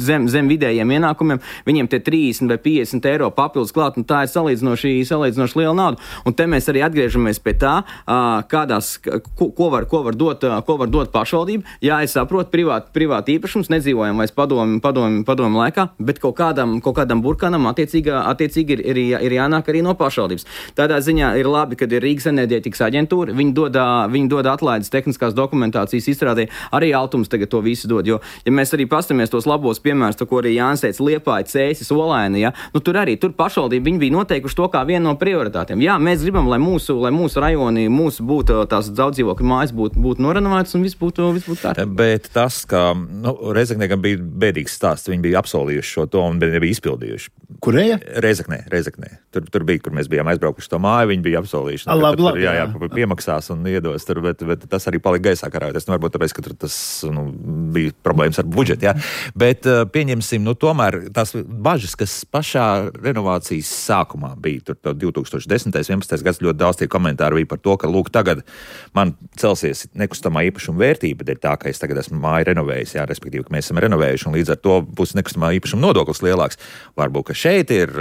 zem, zem vidējiem ienākumiem, viņiem tie trīsdesmit vai piecdesmit eiro papildus klāt, un tā ir salīdzinoši, salīdzinoši liela nauda. Un te mēs arī atgriežamies pie tā, kādās, ko, ko, var, ko, var dot, ko var dot pašvaldība. Jā, es saprotu, privāti privāt īpašums, nedzīvojam vairs padomu, padomu, padomu laikā, bet kaut kādam, kaut kādam burkanam attiecīgi, attiecīgi ir, ir, ir jānāk arī no pašvaldības. Tādā ziņā ir labi, kad ir Rīgas enerģētikas aģentūra, viņi dod, viņi dod atlaides tehniskās dokumentācijas izstrādē, arī Altums tagad to visu dod, jo, ja mēs arī pastamies tos labos piemērus, to, ko arī Jānis teica, Liepāja, Cēsis, Olaina, ja, nu tur arī, tur pašvaldība, viņi bija noteikuši to kā vienu no prioritātiem. Jā, mēs gribam, lai mūsu, lai mūsu rajoni, mūsu būtu tās daudzdzīvokļu mājas būtu, būtu norenovētas un viss būtu, viss būtu tā. Bet tas, ka, nu, Rezekniekam bija bēdīgs stāsts, viņi bija absolījuši šo to un nebija izpildījuši. Kurēja? Rezeknē, Rezeknē. Tur, tur bija, kur mēs bijām aizbraukuši to māju, viņi bija absolījuši. Nu, labi, labi, jā, jā, piemaksās un iedos tur, bet, bet tas arī palika gaisā karājoties. Nu, varbūt tāpēc, ka tur tas, nu, bija problēmas ar budžetu, jā. Bet pieņemsim, nu, tomēr tās bažas, kas pašā renovācijas sākumā bija, tur divi tūkstoši desmitais, vienpadsmitais gads ļoti daudz tie komentāri bija par to, ka, lūk, tagad man celsies nekustamā īpašuma vērtība, dēļ tā, ka es tagad esmu māju renovējis, jā, respektīvi, ka mēs esam renovējuši, un līdz ar to būs nekustamā īpašuma nodoklis lielāks. Varbūt, ka šeit ir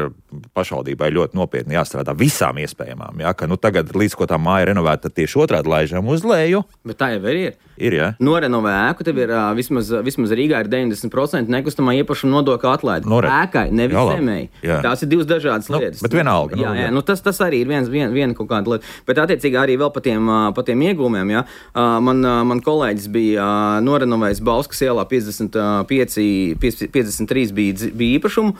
pašvaldībai ļoti nopietni jāstrādā visām iespējamām, jā, ka, nu, tagad līdz ko tā māja renovēta, tad tieši otrādi laižam uz leju. Bet tā jau arī ir. Ir, jā. Norenovē ēku, tev ir uh, vismaz, vismaz Rīgā ir deviņdesmit procenti nekustamā īpašuma nodokļa atlaide. Nore... Ēkai, nevis zemēji. Tās ir divas dažādas nu, lietas. Bet vienalga. Jā, jā, nu, tas, tas arī ir viens, vien, viena kaut kāda lieta. Bet attiecīgi arī vēl pa tiem, pa tiem iegūmiem, jā. Man, man kolēģis bija norenovējis Bauskas ielā piecdesmit pieci, piecdesmit trīs bija, bija īpašumu.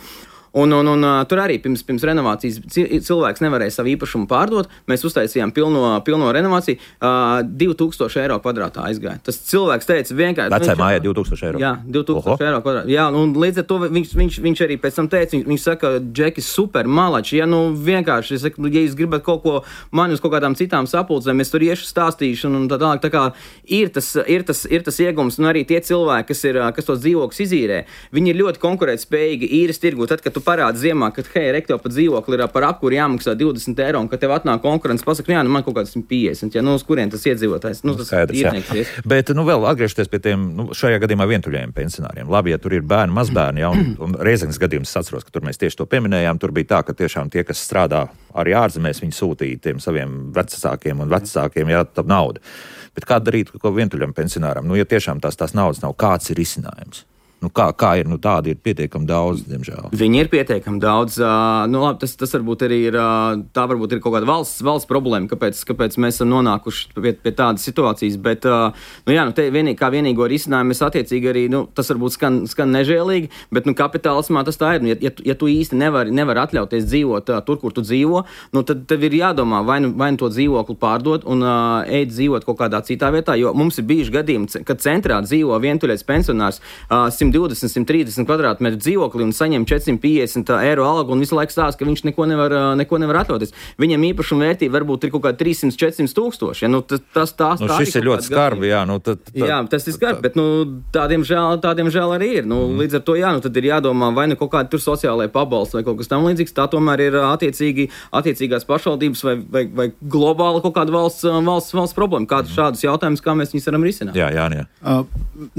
Un, un, un tur arī pirms, pirms renovācijas cilvēks nevarēja savu īpašumu pārdot. Mēs uztaisījām pilno, pilno renovāciju. Uh, divi tūkstoši eiro kvadrātā aizgāja. Tas cilvēks teica vienkārši... Vecai mājai divi tūkstoši eiro? Jā, divi tūkstoši eiro kvadrātā. Jā, un līdz ar to viņš, viņš, viņš arī pēc tam teica, viņš, viņš saka, Džekis, super, malači, ja nu vienkārši, es saku, ja jūs gribat kaut ko mani uz kaut kādām citām sapulcēm, es tur iešu stāstīšu un tā tālāk. Tā kā ir tas, ir tas, ir tas iegums, un arī tie cilvēki, kas, ir, kas tos dzīvokļus izīrē, viņi ir ļoti konkurētspējīgi īres tirgu. Tad, kad tu parādi ziemā, ka, hei, rektev pat dzīvokli ir par apkuri jāmaksā divdesmit eiro, un ka tev atnāk konkurence, pasaka, jā, nu man kaut kāds piecdesmit, ja, nu uz kurien tas iedzīvotājs, nu tas īrnieks. Bet, nu vēl atgriežoties pie tiem, nu šajā gadījumā vientuļajiem pensionāriem. Labi, ja tur ir bērni, mazbērni, ja, un, un Reizeknes gadījums es atceros, ka tur mēs tieši to pieminējām, tur bija tā, ka tiešām tie, kas strādā arī ārzemēs, viņi sūtīja tiem saviem vecākiem un vecākiem, jā, tā nauda. Bet kā darīt ko vientuļam pensionāram? Nu, ja tiešām tās, tās naudas nav, kāds ir risinājums? Nu, kā, kā ir, nu tādi ir pietiekami daudz, diemžēl. Viņi ir pietiekami daudz. Uh, nu, labi, tas, tas varbūt arī ir, uh, tā varbūt ir kaut kāda valsts, valsts problēma, kāpēc, kāpēc mēs esam nonākuši pie, pie tādas situācijas, bet, uh, nu jā, nu te vienīgi, kā vienīgo risinājumu mēs attiecīgi arī, nu, tas varbūt skan, skan nežēlīgi, bet, nu, kapitālismā tas tā ir. Nu, ja, ja, ja tu īsti nevari, nevari atļauties dzīvot uh, tur, kur tu dzīvo, nu, tad tev ir jādomā, vai nu, vai nu to dzīvokli pārdot un uh, eit dzīvot kaut kādā citā vietā, jo mums ir bijuši gadījumi, kad centrā dzīvo vientuļais pensionārs, uh, simt divdesmit, simt trīsdesmit kvadrātmetru dzīvokli un saņem četrsimt piecdesmit eiro algu un visu laiku stāsta, ka viņš neko nevar, neko nevar atļauties. Viņam īpašuma vērtība varbūt ir kaut kā trīssimt, četrsimt tūkstoši. Ja, nu, tas, tas, tās, nu, šis ir ļoti skarbi, jā. Nu, tad, tad, jā, tas ir skarbi, bet nu, tādiem, žēl, tādiem žēl arī ir. Nu, mm. Līdz ar to, jā, nu, tad ir jādomā, vai nu kaut kādi tur sociālai pabalsti vai kaut kas tam līdzīgs. Tā tomēr ir attiecīgi, attiecīgās pašvaldības vai, vai, vai globāli kaut kāda valsts, valsts, valsts problēma. Kāds mm. šādus jautājumus, kā mēs viņus varam risināt? Jā, jā, jā. Uh,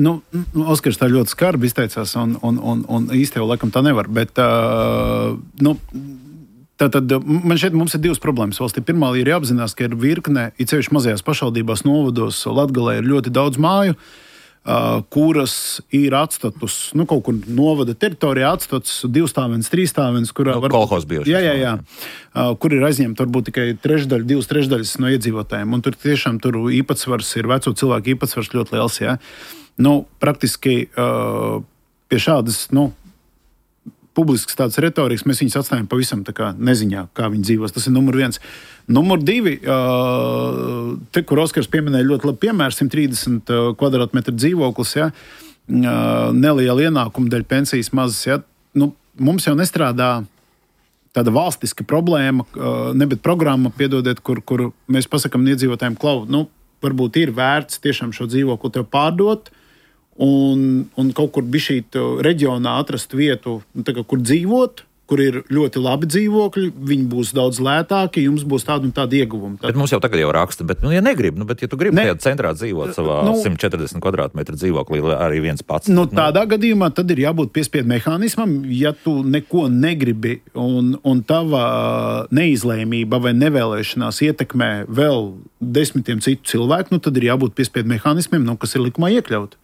nu, Oskars tā ļoti skarbi izteica. Un, un, un, un īsti jau laikam tā nevar. Bet, uh, nu, tā tad man šeit mums ir divas problēmas valstī. Pirmā ir jāapzinās, ka ir virkne, it sevišķi mazajās pašvaldībās, novados, Latgalē ir ļoti daudz māju, Uh, kuras ir atstatus, nu, kaut kur novada teritorijā atstatus divstāvens, trīsstāvens, kurā nu, var... kolhos bijušas. Jā, jā, jā. Uh, kur ir aizņemta varbūt tikai trešdaļa, divas trešdaļas no iedzīvotājiem. Un tur tiešām tur īpatsvars ir, veco cilvēku īpatsvars ļoti liels, jā. Nu, praktiski uh, pie šādas, nu, publiskas tādas retorikas mēs viņus atstājam pavisam tā kā neziņā, kā viņi dzīvos. Tas ir numur viens. Numur divi, uh, te, kur Oskars pieminēja ļoti labi piemēru, simt trīsdesmit kvadrātmetru dzīvoklis, ja, uh, neliela ienākuma dēļ pensijas mazas. Ja, nu, mums jau nestrādā tāda valstiska problēma, uh, ne bet programma, piedodiet, kur, kur mēs pasakam iedzīvotājiem, klau, nu, varbūt ir vērts tiešām šo dzīvokli tev pārdot, Un, un kaut kur bišķīt reģionā atrast vietu, tā kā, kur dzīvot, kur ir ļoti labi dzīvokļi, viņi būs daudz lētāki, jums būs tāda un tāda ieguvuma. Tad... Bet mums jau tagad jau raksta, bet, nu, ja negrib, nu, bet, ja tu gribi ne... tajā centrā dzīvot savā nu, simt četrdesmit kvadrātmetru dzīvoklī, arī viens pats. Nu, tādā nu... gadījumā tad ir jābūt piespiedu mehānismam, ja tu neko negribi un, un tava neizlēmība vai nevēlēšanās ietekmē vēl desmitiem citu cilvēku, nu, tad ir jābūt piespiedu mehānismiem, nu, kas ir likumā iekļaut.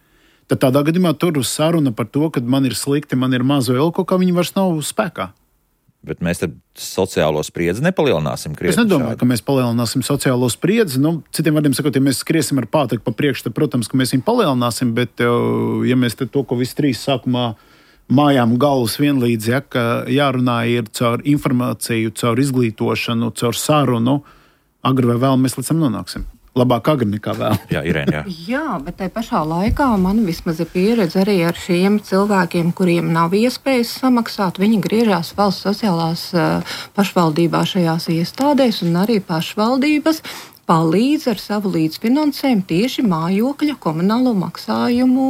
Tad tādā gadījumā tur saruna par to, ka man ir slikti, man ir maz vēl kaut kā, viņi vairs nav spēkā. Bet mēs tad sociālo spriedzi nepalielināsim. Es nedomāju, šādi. Ka mēs palielināsim sociālo spriedzi. Nu, citiem vārdiem sakot, ja mēs skriesim ar pātaku pa priekšu, tad, protams, ka mēs viņu palielināsim, bet ja mēs te to, ko visi trīs sākumā mājām galvas vienlīdz, ja, ka jārunā ir caur informāciju, caur izglītošanu, caur sarunu, agri vai vēl mēs līdz tam nonāksim. Labāk agri nekā vēl. Jā, Irēna, jā. Jā, bet tai pašā laikā man vismaz ir pieredze arī ar šiem cilvēkiem, kuriem nav iespējas samaksāt. Viņi griežās valsts sociālās uh, pašvaldībā šajās iestādēs, un arī pašvaldības palīdz ar savu līdzfinansējumu tieši mājokļa komunālo maksājumu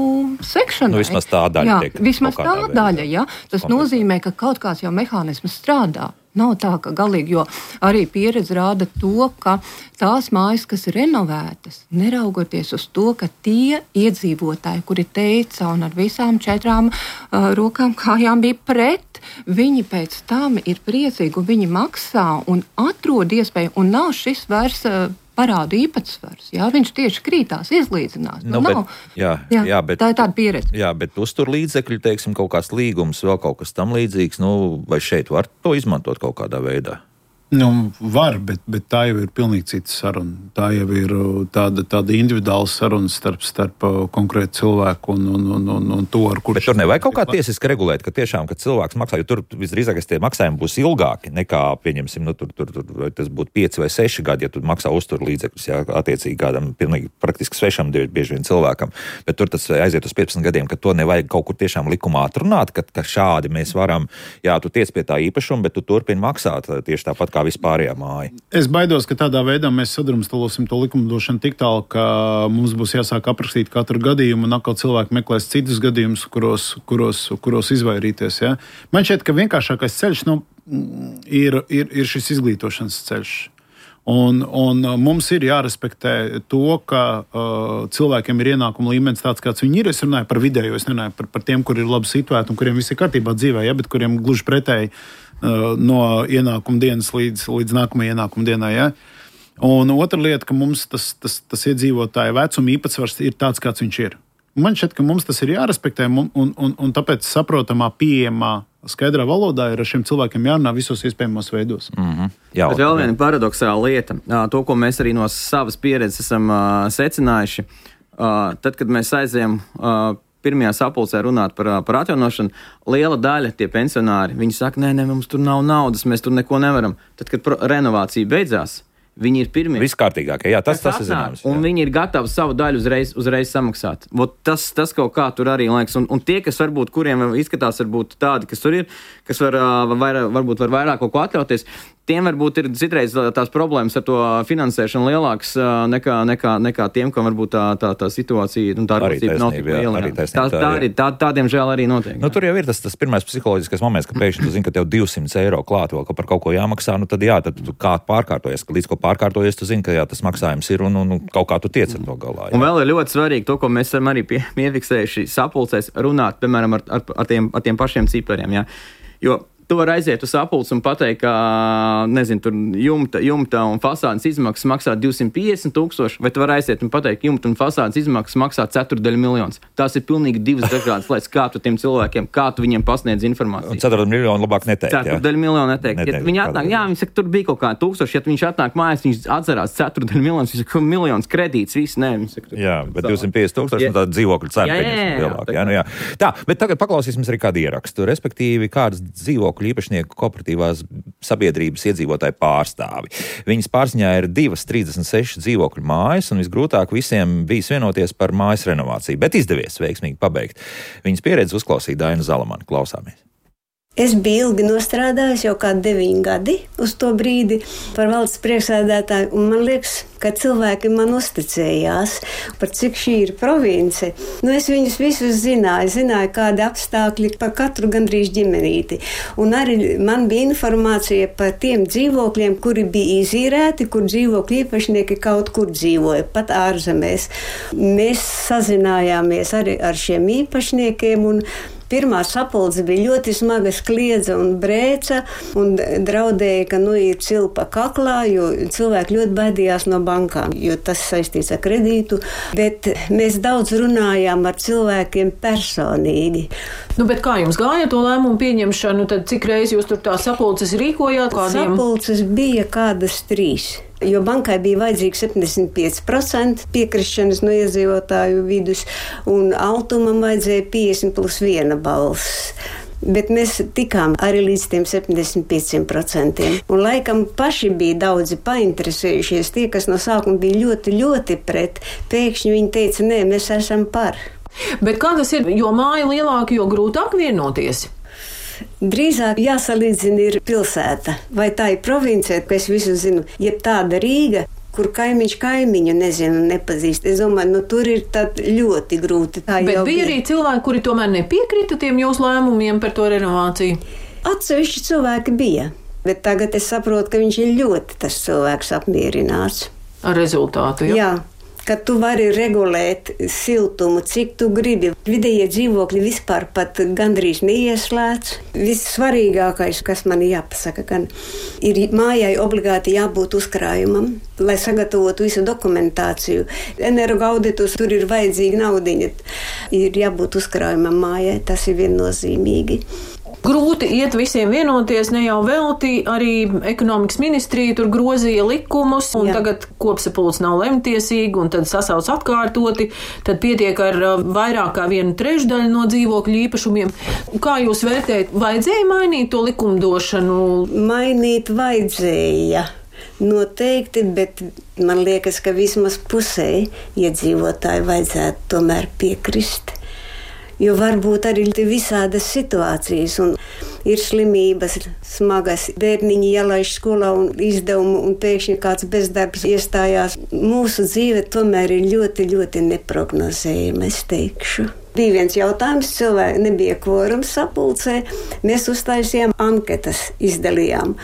sekšanai. Nu, vismaz tā daļa. Jā, tiek, vismaz tā daļa, jā. Tas nozīmē, ka kaut kāds jau mehānisms strādā. Nav tā, ka galīgi, jo arī pieredze rāda to, ka tās mājas, kas ir renovētas, neraugoties uz to, ka tie iedzīvotāji, kuri teica un ar visām četrām uh, rokām kājām bija pret, viņi pēc tam ir priecīgi un viņi maksā un atrod iespēju un nav šis vairs uh, parādu īpatsvars. Jā, viņš tieši krītās, izlīdzinās. Nu, nu, bet, jā, jā, jā, bet, tā ir tāda pieredze. Jā, bet uztur līdzekļi, teiksim, kaut kāds līgums, vēl kaut kas tam līdzīgs, nu, vai šeit var to izmantot kaut kādā veidā? Nu, var, bet, bet tā jau ir pilnīgi cita saruna. Tā jau ir tāda, tāda individuāla saruna starp, starp konkrētu cilvēku un, un, un, un, un to, ar kurš... Bet tur nevajag kaut kā tiesiski regulēt, ka tiešām, kad cilvēks maksā, jo tur visdrīzākais tie maksājumi būs ilgāki nekā, pieņemsim, nu, tur, tur, tur tas būtu pieci vai seši gadi, ja tu maksā uztur līdzekļus, jā, attiecīgi kādam pilnīgi praktiski svešam bieži vien cilvēkam. Bet tur tas aiziet uz piecpadsmit gadiem, ka to nevajag kaut kur tiešām likumā atrunāt, ka, ka šādi mēs varam, jā, tu tiec pie tā īpašuma, bet tu turpini maksāt tieši tāpat kā vispārējā māja. Es baidos, ka tādā veidā mēs sadrumstalosim to likumdošanu tik tālu, ka mums būs jāsāk aprakstīt katru gadījumu un atkal cilvēki meklēs citus gadījumus, kuros, kuros, kuros izvairīties. Ja? Man šķiet, ka vienkāršākais ceļš nu, ir, ir, ir šis izglītošanas ceļš. Un, un mums ir jārespektē to, ka uh, cilvēkiem ir ienākuma līmenis tāds, kāds viņi ir. Es runāju par vidējo, es runāju par, par tiem, kur ir labi situēti un kuriem viss ir kārtībā dzīvē, ja, bet kuriem gluži pretēji uh, no ienākuma dienas līdz, līdz nākamajai ienākuma dienai. Ja. Un otra lieta, ka mums tas, tas, tas iedzīvotāja vecuma īpatsvars ir tāds, kāds viņš ir. Man šķiet, ka mums tas ir jārespektē, un, un, un, un tāpēc saprotamā, pieejamā, skaidrā valodā ir ar šiem cilvēkiem jārunā visos iespējamos veidos. Mm-hmm. Jā, bet vēl viena paradoxāla lieta, to, ko mēs arī no savas pieredzes esam uh, secinājuši, uh, tad, kad mēs aizējam uh, pirmajā sapulcē runāt par, par atjaunošanu, liela daļa tie pensionāri, viņi saka, nē, nē, mums tur nav naudas, mēs tur neko nevaram. Tad, kad pro- renovācija beidzās, viņi ir pirmie. Viskārtīgākie, jā, tas, tas ir zināms. Un viņi ir gatavi savu daļu uzreiz, uzreiz samaksāt. Vot tas, tas kaut kā tur arī liekas. Un, un tie, kas varbūt, kuriem izskatās varbūt tādi, kas tur ir, kas var, var, varbūt var vairāk kaut ko atļauties, tiem varbūt ir citreiz tās problēmas ar to finansēšanu lielākas nekā, nekā, nekā tiem, kam varbūt tā, tā, tā situācija, tā rīcība nav tik liela. Tā, tā, tā, arī, tā, tā diemžēl arī notiek. Nu, tur jau ir tas, tas pirmais psiholoģiskais moments, ka pēkšņi tu zini, ka tev divsimt eiro klāt vēl, ka par kaut ko jāmaksā, nu tad jā, tad kā pārkārtojies, ka līdz ko pārkārtojies, tu zini, ka jā, tas maksājums ir un, un, un kaut kā tu tiec ar to galā. Jā. Un vēl ir ļoti svarīgi to, ko mēs esam arī pie, piefiksējuši sapulcēs runāt, piemēram, ar, ar, ar, tiem, ar tiem pašiem cipariem, jā. Jo Tu vari aiziet uz sapulci un pateikt, ka, nezinu, tur jumta, jumta un fasādes izmaksas maksā divsimt piecdesmit tūkstoši, vai tu vari aiziet un pateikt, ka jumta un fasādes izmaksas maksā ceturdaļu miljonus. Tās ir pilnīgi divas dažādas lietas, kā tu tiem cilvēkiem, kā tu viņiem pasniedz informāciju. Un ceturdaļu miljonu labāk neteikt. Ceturdaļu miljonu neteikt. neteikt. Ja viņi atnāk, jā, viņi saka, tur bija kaut kā tūkstoši, ja viņš atnāk mājās, viņš atcerās ceturdaļu miljonus, viņš saka, miljons kredīts, viss, nē, viņš saka. Jā, bet divsimt piecdesmit tūkstoši, un tā dzīvokļu cena ir lielāka. Jā, nu jā. Tā, bet tagad paklausīsimies arī kādu ierakstu, respektīvi kādas dzīvokļu īpašnieku kooperatīvās sabiedrības iedzīvotāju pārstāvi. Viņas pārziņā ir divas trīsdesmit sešas dzīvokļu mājas, un visgrūtāk visiem bijis vienoties par mājas renovāciju, bet izdevies veiksmīgi pabeigt. Viņas pieredzi uzklausīja Daina Zalamane. Klausāmies. Es biju ilgi nostrādājis, jau kādi deviņi gadi uz to brīdi par valsts priekšsēdētāju, un man liekas, ka cilvēki man uzticējās, par cik šī ir province. Nu, es viņus visus zināju, zināju, kādi apstākļi par katru gandrīz ģimenīti. Un arī man bija informācija par tiem dzīvokļiem, kuri bija izīrēti, kur dzīvokļu īpašnieki kaut kur dzīvoja, pat ārzemēs. Mēs sazinājāmies arī ar šiem īpašniekiem, un pirmā sapulce bija ļoti smaga, kliedza un brēca, un draudēja, ka nu ir cilpa kaklā, jo cilvēki ļoti baidījās no bankām, jo tas saistīts ar kredītu, bet mēs daudz runājām ar cilvēkiem personīgi. Nu, bet kā jums gāja to lēmumu pieņemšanu, tad cik reizi jūs tur tā sapulces rīkojāt? Kādiem? Sapulces bija kādas trīs. Jo bankai bija vajadzīgi septiņdesmit pieci procenti piekrišanas no iedzīvotāju vidus, un Altumam vajadzēja piecdesmit plus viena balss. Bet mēs tikām arī līdz tiem septiņdesmit pieciem procentiem. Un laikam paši bija daudzi painteresējušies, tie, kas no sākuma bija ļoti, ļoti pret. Pēkšņi viņi teica, nē, mēs esam par. Bet kā tas ir, jo māja lielāka, jo grūtāk vienoties? Drīzāk jāsalīdzina ir pilsēta, vai tā ir province, ka es visu zinu, jeb tāda Rīga, kur kaimiņš kaimiņu nezinu, nepazīst. Es domāju, nu tur ir tad ļoti grūti. Tā Bet bija, bija arī cilvēki, kuri tomēr nepiekrita tiem jūsu lēmumiem par to renovāciju? Atsevišķi cilvēki bija, bet tagad es saprotu, ka viņš ir ļoti tas cilvēks apmierināts. Ar rezultātu, jā? Jā. Ka tu vari regulēt siltumu, cik tu gribi. Vidējie dzīvokļi vispār pat gandrīz neieslēdz. Vissvarīgākais, kas man jāpasaka, gan ir mājai obligāti jābūt uzkrājumam, lai sagatavotu visu dokumentāciju. Energoauditus, tur ir vajadzīga naudiņa. Ir jābūt uzkrājumam mājai, tas ir viennozīmīgi. Grūti iet visiem vienoties, ne jau velti, arī ekonomikas ministrija tur grozīja likumus, un Jā. Tagad kopsapulce nav lemtiesīga, un tad sasauc atkārtoti, tad pietiek ar vairāk kā vienu trešdaļu no dzīvokļu īpašumiem. Kā jūs vērtējat, vajadzēja mainīt to likumdošanu? Mainīt vajadzēja. Noteikti, bet man liekas, ka vismaz pusē iedzīvotāji vajadzētu tomēr piekrist. Jo varbūt arī visādas situācijas, un ir slimības, smagas, bērniņi jālaiž skolā un izdevumu, un pēkšņi kāds bezdarbs iestājās. Mūsu dzīve tomēr ir ļoti, ļoti neprognozējama, es teikšu. Bija viens jautājums, cilvēki nebija kvorums sapulcē, mēs uztaisījām anketas, izdalījām.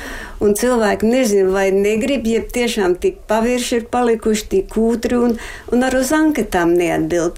Un cilvēki nezinu, vai negrib, ja tiešām tik pavirši ir palikuši, tik kūtri, un, un ar uz anketām neatbild.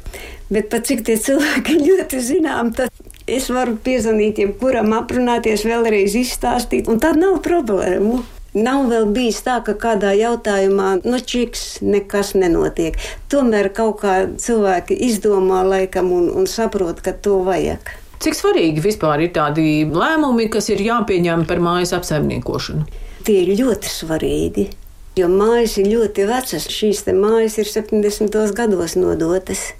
Bet pat cik tie cilvēki ļoti zinām, tad es varu piezvanīt jebkuram, aprunāties, vēlreiz izstāstīt, un tad nav problēmu. Nav vēl bijis tā, ka kādā jautājumā, nu čiks, nekas nenotiek. Tomēr kaut kā cilvēki izdomā laikam un, un saprot, ka to vajag. Cik svarīgi vispār ir tādi lēmumi, kas ir jāpieņem par mājas apsaimniekošanu? Tie ir ļoti svarīgi, jo mājas ir ļoti vecas. Šīs te mājas ir septiņdesmitos gados nodotas.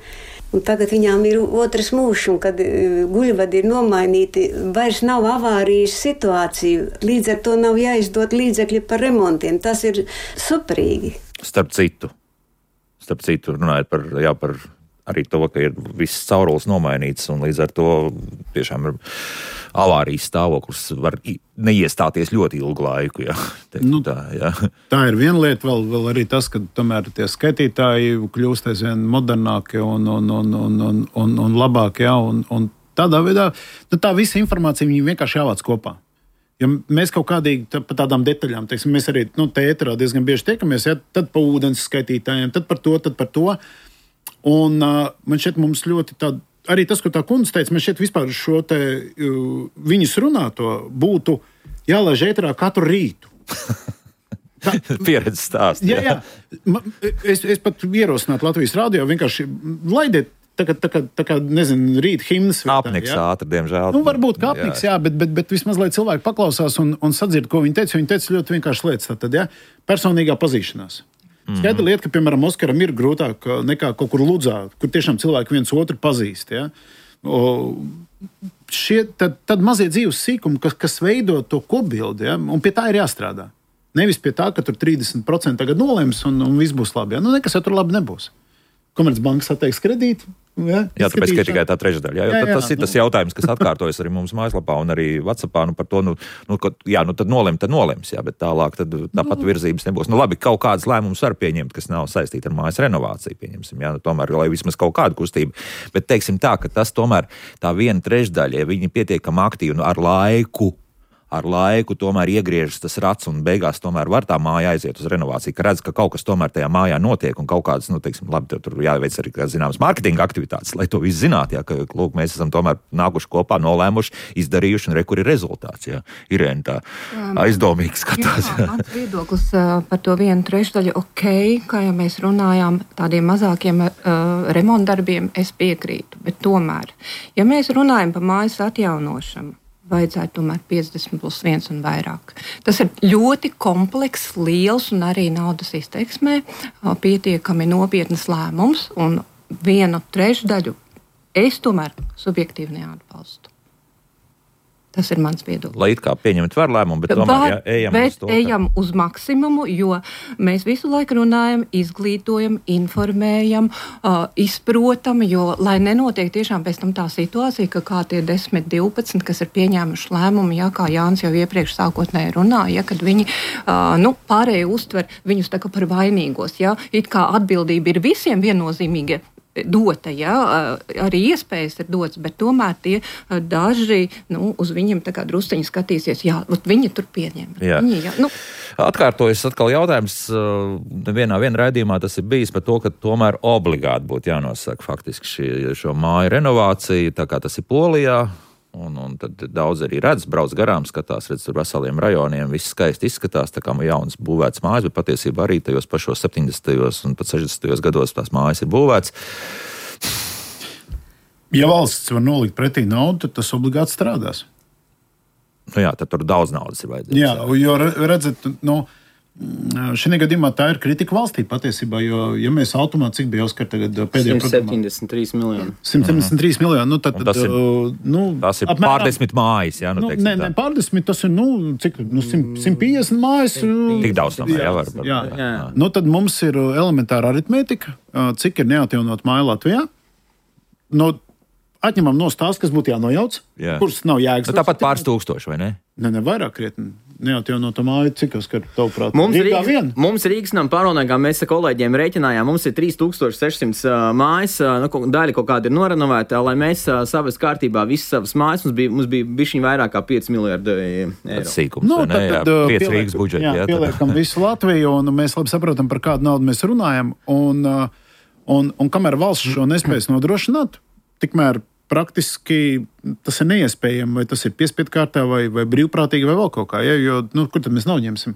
Un tagad viņām ir otrs mūžs, un kad guļvadi ir nomainīti, vairs nav avārijas situāciju. Līdz ar to nav jāizdot līdzekļi par remontiem. Tas ir superīgi. Starp citu, starp citu runājot par, jā, par arī to, ka ir viss caurulis nomainīts, un līdz ar to tiešām ir avārijas stāvoklis var neiestāties ļoti ilgu laiku. Jā. Teiktu, nu, tā, jā. tā ir viena lieta, vēl, vēl arī tas, ka tomēr tie skaitītāji kļūst aizvien modernāki un, un, un, un, un, un, un labāki. Jā, un, un tādā veidā nu, tā visa informācija vienkārši jāvāc kopā. Ja mēs kaut kādīgi tā, par tādām detaļām, teiksim, mēs arī nu, te ēterā diezgan bieži tiekamies, ja, tad par ūdens skaitītājiem, tad par to, tad par to. Un uh, man šeit mums ļoti tāda arī tas, ko tā kundze teica, man šķiet vispār šo te viņas runāto būtu jālaiž ēterā katru rītu. Tā, pieredzes stāsts. Jā, jā. Es, es pat ierosinātu Latvijas radio vienkārši laidiet tā kā, tā kā, tā kā nezinu, rīt himnas. Apniks ātri, diemžēl. Nu, varbūt kā apniks, jā, jā bet, bet, bet vismaz, lai cilvēki paklausās un, un sadzird, ko viņi teica. Viņi teica ļoti vienkārši lietas. Tātad, jā, personīgā pazīšanās. Mm-hmm. Skaidra lieta, ka, piemēram, Oskaram ir grūtāk nekā kaut kur Ludzā, kur tiešām cilvēki viens otru pazīst. Jā. O, šie, tad, tad mazie dzīves sīkumi, kas, kas veido to kopbildi, jā, un pie tā ir jāstrādā. Nevis pie tā, ka tur trīsdesmit procenti tagad nolems un, un viss būs labi. Jā. Nu, nekas jau tur labi nebūs. Komercbankas atteiks kredītu. Jā, jā, tāpēc ir tikai tā trešdaļa. Jā, jā, jā, tas jā, ir tas nu. jautājums, kas atkārtojas arī mums mājaslapā un arī WhatsAppā. Nu, par to, nu, nu, ka, jā, nu tad nolem, tad nolems, jā, bet tālāk tad tāpat virzības nebūs. Nu, labi, kaut kādas lēmumus var pieņemt, kas nav saistīti ar mājas renovāciju, pieņemsim, jā, nu, tomēr, lai vismaz kaut kādu kustību. Bet teiksim tā, ka tas tomēr tā viena trešdaļa, ja viņi pietiekami aktīvi nu, ar laiku, ar laiku tomēr iegriežas tas rats un beigās tomēr var tā māja aiziet uz renovāciju, ka redz, ka kaut kas tomēr tajā mājā notiek un kaut kādas, nu, teiksim, labi, tur jāveic arī, kā zināms, mārketinga aktivitātes, lai to visu zinātu, jā, ka, lūk, mēs esam tomēr nākuši kopā, nolēmuši, izdarījuši un re, kur ir rezultāts, jā. Irēna tā aizdomīgi skatās. Jā, mans viedoklis uh, par to vienu trešdaļu, ok, kā jau mēs runājām, tādiem mazākiem uh, remontdarbiem es piekrītu, bet tomēr, ja mēs runājam par mājas atjaunošanu, vajadzētu tomēr piecdesmit plus viens un vairāk. Tas ir ļoti komplekss, liels un arī naudas izteiksmē pietiekami nopietnas lēmums, un vienu trešdaļu es tomēr subjektīvi neatbalstu. Tas ir mans viedoklis. Lai it kā pieņemt var lēmumu, bet tomēr Var, jā, ejam bet uz to. ejam uz maksimumu, jo mēs visu laiku runājam, izglītojam, informējam, uh, izprotam, jo lai nenotiek tiešām pēc tam tā situācija, ka kā tie desmit, divpadsmit, kas ir pieņēmuši lēmumu, jā, kā Jānis jau iepriekš sākotnēji runāja, kad viņi, uh, nu, pārēji uztver viņus tā kā par vainīgos, jā, it kā atbildība ir visiem viennozīmīgi dota, jā, arī iespējas ir dotas, bet tomēr tie daži, nu, uz viņiem tā kā drusceņi skatīsies, jā, viņi tur pieņem. Jā. Viņi, jā, nu. Atkārtojas atkal jautājums, vienā vien raidījumā tas ir bijis par to, ka tomēr obligāti būtu jānosaka faktiski šī, šo māju renovāciju, tā kā tas ir Polijā. Un, un tad daudz arī redz, brauc garām, skatās, redz tur veseliem rajoniem, viss skaisti izskatās, tā kā jauns būvēts mājas, bet patiesībā arī tajos pašos septiņdesmitajos un pat sešdesmitajos gados tās mājas ir būvēts. Ja valsts var nolikt pretī naudu, tad tas obligāti strādās. Nu jā, tad tur daudz naudas ir vajadzīgs. Jā, jo redzat, nu, šajā gadījumā tā ir kritika valstī patiesībā, jo, ja mēs automāti, cik bija Oskar tagad pēdējā simt septiņdesmit trīs miljoni. simt septiņdesmit trīs miljoni, nu tad, tad tas ir, nu, tas ir apmēram, pārdesmit mājas, jā, nu, nu teiksim ne, tā. Ne, pārdesmit, tas ir, nu, cik, nu, simt piecdesmit mājas. Tik daudz tomēr, jā, var. Jā, jā. Nu, tad mums ir elementāra aritmētika, cik ir neatjaunot māju Latvijā. Nu, atņemam no stāsts, kas būtu jānojauc, jā. Kuras nav jēgas. Nu, tāpat pāris tūkstoši, vai ne? Ne, ne vairāk krietni. Neatjaunota māja, cik tas, ka tavuprāt, mums Rīgā Rīgas, vien? Mums Rīgas nam pārvaldniekā mēs ar kolēģiem rēķinājām, mums ir trīs tūkstoši sešsimt uh, mājas, uh, nu, daļa kaut kāda ir norenovēta, lai mēs uh, savas kārtībā visas savas mājas, mums bija, mums bija bišķiņ vairāk kā pieci miljardi eiro. Tas sīkums, nu, vai ne? Tad, jā, pieliek, Rīgas budžeti. Jā, jā, pieliekam visu Latviju, un mēs labi saprotam, par kādu naudu mēs runājam, un, un, un kamēr valsts šo nespējas nodrošināt, tikmēr praktiski tas ir neiespējami, vai tas ir piespiedu kārtā, vai, vai brīvprātīgi, vai vēl kaut kā, ja? Jo, nu, kur tad mēs naudu ņemsim?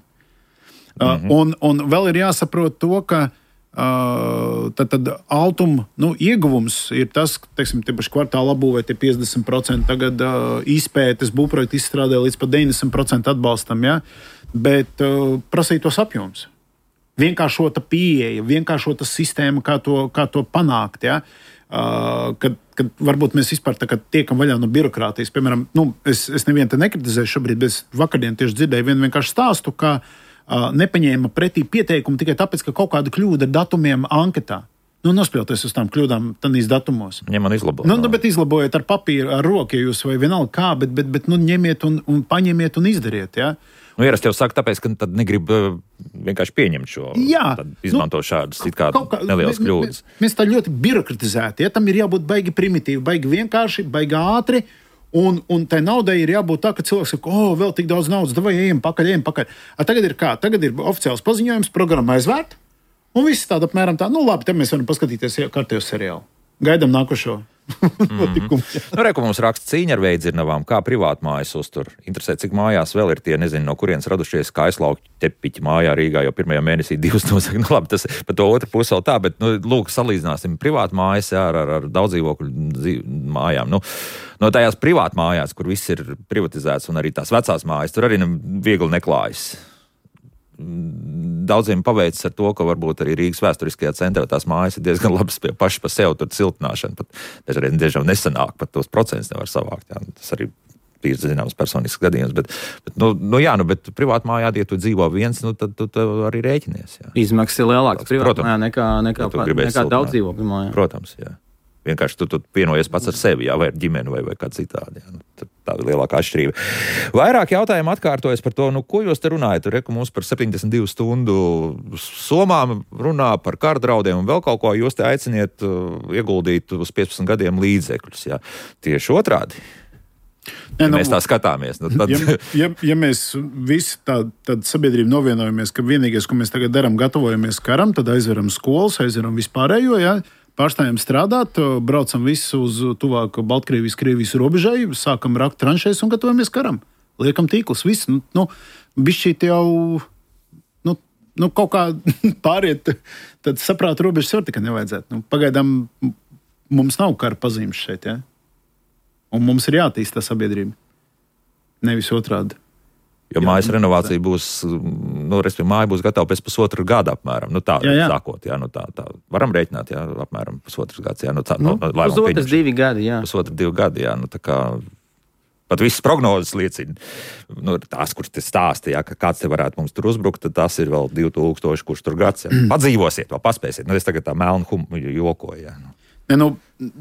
Mm-hmm. Uh, un, un vēl ir jāsaprot to, ka uh, tad, tad altuma nu, ieguvums ir tas, teiksim, tie paši kvartāla labūvē tie piecdesmit procenti, tagad uh, izpētes būvprojektu izstrādē līdz pat deviņdesmit procenti atbalstam, ja? Bet uh, prasītos apjoms. Vienkāršota pieeja, vienkāršota sistēma, kā to, kā to panākt, ja? Uh, kad, kad varbūt mēs vispār tiekam vaļā no birokrātijas. Piemēram, nu, es, es nevienu te nekritizēju šobrīd, bet es vakardien tieši dzirdēju vienu vienkārši stāstu, ka uh, nepaņēma pretī pieteikumu tikai tāpēc, ka kaut kāda kļūda ar datumiem anketā. Nu, nospļauties uz tām kļūdām tādīs datumos. Ņem un izlabot. Nu, nu, bet izlabojiet ar papīru, ar roku, ja jūs vai vienalga kā, bet, bet, bet nu, ņemiet un, un paņemiet un izdariet, jā. Ja? Nu, ierasti jau saka, tāpēc, ka tad negrib uh, vienkārši pieņemt šo, jā, tad izmanto nu, šādas it kā, kā nelielas kļūdas. Mēs, mēs tā ļoti birokratizēti, ja tam ir jābūt baigi primitīvi, baigi vienkārši, baigi ātri, un, un tai naudai ir jābūt tā, ka cilvēks saka, o, vēl tik daudz naudas, davai ejam pakaļ, ejam pakaļ. A, tagad ir kā? Tagad ir oficiāls paziņojums, programma aizvērt, un viss tāda apmēram tā, nu labi, te mēs varam paskatīties kārtējo seriālu. Gaidam nākošo. notikumu. Mm-hmm. Nu, reku mums raksta cīņa ar veidzirnavām, kā privātmājas uztur. Interesē, cik mājās vēl ir tie, nezinu, no kurienes radušies kaislauki tepiķi mājā Rīgā, jo pirmajā mēnesī divas nosaka. Nu labi, tas pa to otru pusi vēl tā, bet, nu, lūk, salīdzināsim privātmājas ar, ar, ar daudzdzīvokļu mājām. Nu, no tajās privātmājās, kur viss ir privatizēts un arī tās vecās mājas, tur arī viegli neklājas. Daudziem paveicis ar to, ka varbūt arī Rīgas vēsturiskajā centrā tās mājas ir diezgan labas pie paši pa sev, tur ciltināšana pat dažreiz diezgan nesanāk, pat tos procentus nevar savākt. Jā. Tas arī ir zināms personisks gadījums, bet, bet nu, nu jā, nu, bet privāti mājā, ja tu dzīvo viens, nu, tad tu, tu arī rēķinies. Jā. Izmaksas ir lielākas privāti mājā nekā, nekā, ja nekā, nekā daudz dzīvokļu mājā. Protams, jā. Vienkārši tu, tu pienojies pats ar sevi, jā, vai ar ģimeni, vai, vai kā citādi. Jā. Nu, tā ir lielākā atšķirība. Vairāk jautājumu atkārtojas par to, nu, ko jūs te runājat? Tur reku mums par septiņdesmit divu stundu somām runā par karadraudiem un vēl kaut ko. Jūs te aiciniet uh, ieguldīt uz piecpadsmit gadiem līdzekļus. Jā. Tieši otrādi. Ja ne, nu, mēs tā skatāmies. Nu, tad... ja, ja, ja mēs visi tā, tad sabiedrība novienojamies, ka vienīgais, ko mēs tagad darām, gatavojamies karam, tad aizveram skolas, aizveram vispārējo, jā. Pārstājam strādāt, braucam visu uz tuvāku Baltkrievijas, Krievijas robežai, sākam rakt tranšēs un gatavojamies karam. Liekam tīklus, viss. Nu, nu, bišķīt jau nu, nu, kaut kā pāriet, tad saprāt robežas var tikai nevajadzētu. Nu, pagaidām mums nav kara pazīmes šeit, ja? Un mums ir jātīst tā sabiedrība. Nevis otrādi. Jo mājas renovācija būs, nu, respektīvi, māja būs gatava pēc pusotra gada apmēram. Nu, tā, jā, jā. Sākot, jā, nu, tā, tā. Varam rēķināt, jā, apmēram pusotras gads, jā. Nu, tā, nu, no, pusotras divi gadi, jā. Pusotras divi gadi, jā, nu, tā kā... Pat visas prognozes liecina, nu, tās, kuras te stāsta, jā, ka kāds te varētu mums tur uzbrukt, tad tas ir vēl divi tūkstoši, kurš tur gads, jā. Padzīvosiet, vēl paspēsiet. Nu, es tagad tā melnu humu jokoju, jā. Nu. Ne, nu,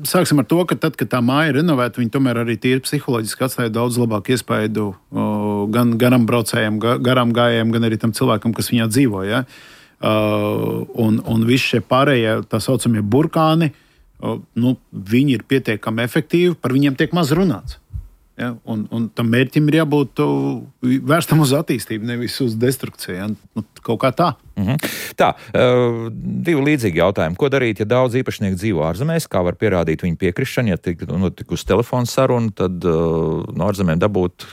sāksim ar to, ka tad, kad tā māja ir renovēta, viņi tomēr arī tīri psiholoģiski atstāja daudz labāku iespaidu o, gan garam braucējiem, ga, garām gājējiem, gan arī tam cilvēkam, kas viņā dzīvo. Ja? Uh, un, un visi šie pārējie, tā saucamie burkāni, uh, nu, viņi ir pietiekami efektīvi, par viņiem tiek maz runāts. Ja? Un, un tam mērķim ir jābūt uh, vērstam uz attīstību, nevis uz destrukciju. Ja? Nu, kaut kā tā. Mm-hmm. Tā, uh, divi līdzīgi jautājumi. Ko darīt, ja daudz īpašnieku dzīvo ārzemēs? Kā var pierādīt viņu piekrišanu? Ja tik notikus telefonu sarunu, tad uh, no ārzemēm dabūt...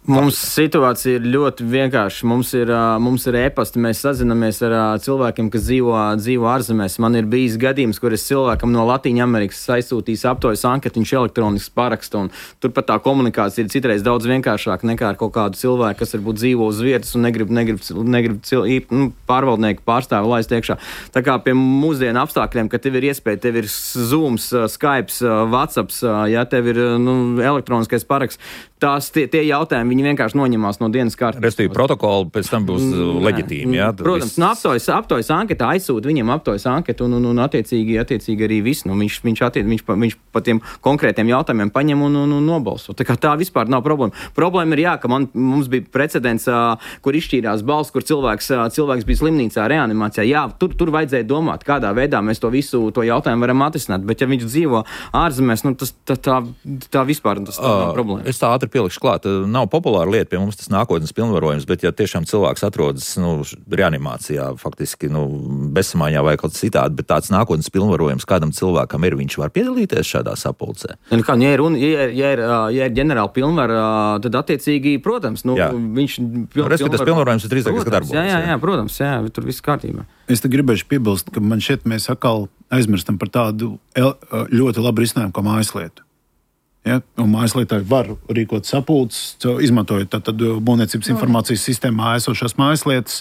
Mums situācija ir ļoti vienkārša. Mums ir, mums ir e-pasti, mēs sazinamies ar cilvēkiem, kas dzīvo, dzīvo ārzemēs. Man ir bijis gadījums, kur es cilvēkam no Latīņa Amerikas aizsūtīs aptojas anketu, viņš elektroniski paraksta, un turpat tā komunikācija ir citreiz daudz vienkāršāka nekā ar kaut kādu cilvēku, kas varbūt dzīvo uz vietas un negrib, negrib, negrib cil, nu, pārvaldnieku pārstāvi laist iekšā. Tā kā pie mūsdienu apstākļiem, ka tev ir iespēja, tev ir Zooms, Skypes, WhatsApps, ja tev ir nu, elektroniskais paraksts, tās tie, tie jautājumi, viņi vienkārši noņemās no dienas kārtības. Respektīvi, protokoli pēc tam būs leģitīmi, jā? Protams, nu, aptojas, aptojas anketā aizsūta viņiem aptojas anketu un, un, un attiecīgi, attiecīgi arī viss. Nu, viņš, viņš, attiec, viņš, pa, viņš pa tiem konkrētiem jautājumiem paņem un, un, un nobalso. Tā kā tā vispār nav problēma. Problēma ir, jā, ka man, mums bija precedents, kur izšķīrās balss, kur cilvēks, cilvēks bija slimnīcā, reanimācijā. Jā, tur, tur vajadzēja domāt, kādā veidā mēs to visu to jautājumu varam atrisināt. Bet ja viņš dzīvo ārzemēs, nu, tas, tā, tā, tā vispār tas tā nav problēma. Es tā ātri pielikšu klāt. Nav populāra lieta pie mums tas nākotnes pilnvarojums, bet ja tiešām cilvēks atrodas nu, reanimācijā, faktiski nu, bezsamaiņā vai kaut citādi, bet tāds nākotnes pilnvarojums kādam cilvēkam ir, viņš var piedalīties šādā sapulcē. Ja, kā, ja, ir, ja, ir, ja, ir, ja ir ģenerāla pilnvara, tad attiecīgi, protams, nu, jā. viņš... Piln, Respektīvi, tas pilnvarojums ir drīzāk, kas darbojas. Jā, jā, jā, protams, jā, tur viss kārtībā. Es te gribēšu piebilst, ka man šeit mēs atkal aizmirstam par tādu ļoti labu risinājumu kā mājaslietu. Ja? Un mājaslietai var rīkot sapulces, izmantojot tātad būvniecības informācijas sistēmā esošās mājaslietas.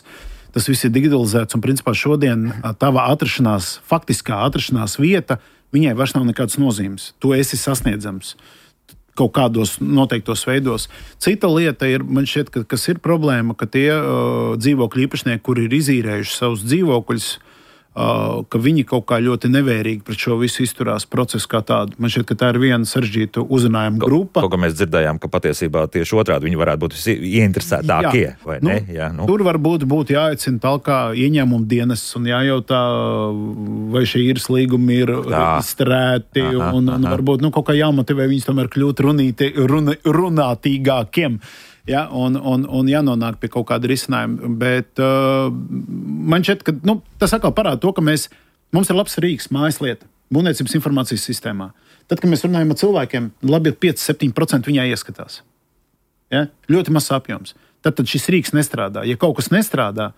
Tas viss ir digitalizēts un principā šodien tava atrašanās, faktiskā atrašanās vieta, viņai vairs nav nekādas nozīmes. Tu esi sasniedzams kaut kādos noteiktos veidos. Cita lieta ir, man šķiet, ka, kas ir problēma, ka tie uh, dzīvokļu īpašnieki, kuri ir izīrējuši savus dzīvokļus, Uh, ka viņi kaut kā ļoti nevērīgi pret šo visu izturās procesu kā tādu. Man šķiet, ka tā ir viena sarežģīta uzrunājuma grupa. Kaut kā mēs dzirdējām, ka patiesībā tieši otrādi viņi varētu būt ieinteresētākie, vai nu, ne? Jā, nu. Tur varbūt būtu jāaicina talkā ieņēmumu dienas un jājautā, vai šie īres līgumi ir izstrēti un, un varbūt nu, kaut kā jāmotivē viņus tomēr kļūt runīti, run, runātīgākiem. Ja, un, un, un jānonāk pie kaut kāda risinājuma. Bet uh, man šķiet, ka nu, tas atkal parāda to, ka mēs, mums ir labs rīks, mājaslieta. būvniecības informācijas sistēmā. Tad, kad mēs runājam ar cilvēkiem, labi ir pieci līdz septiņi procenti viņā ieskatās. Ja? Ļoti mazs apjoms. Tad, tad šis rīks nestrādā. Ja kaut kas nestrādā,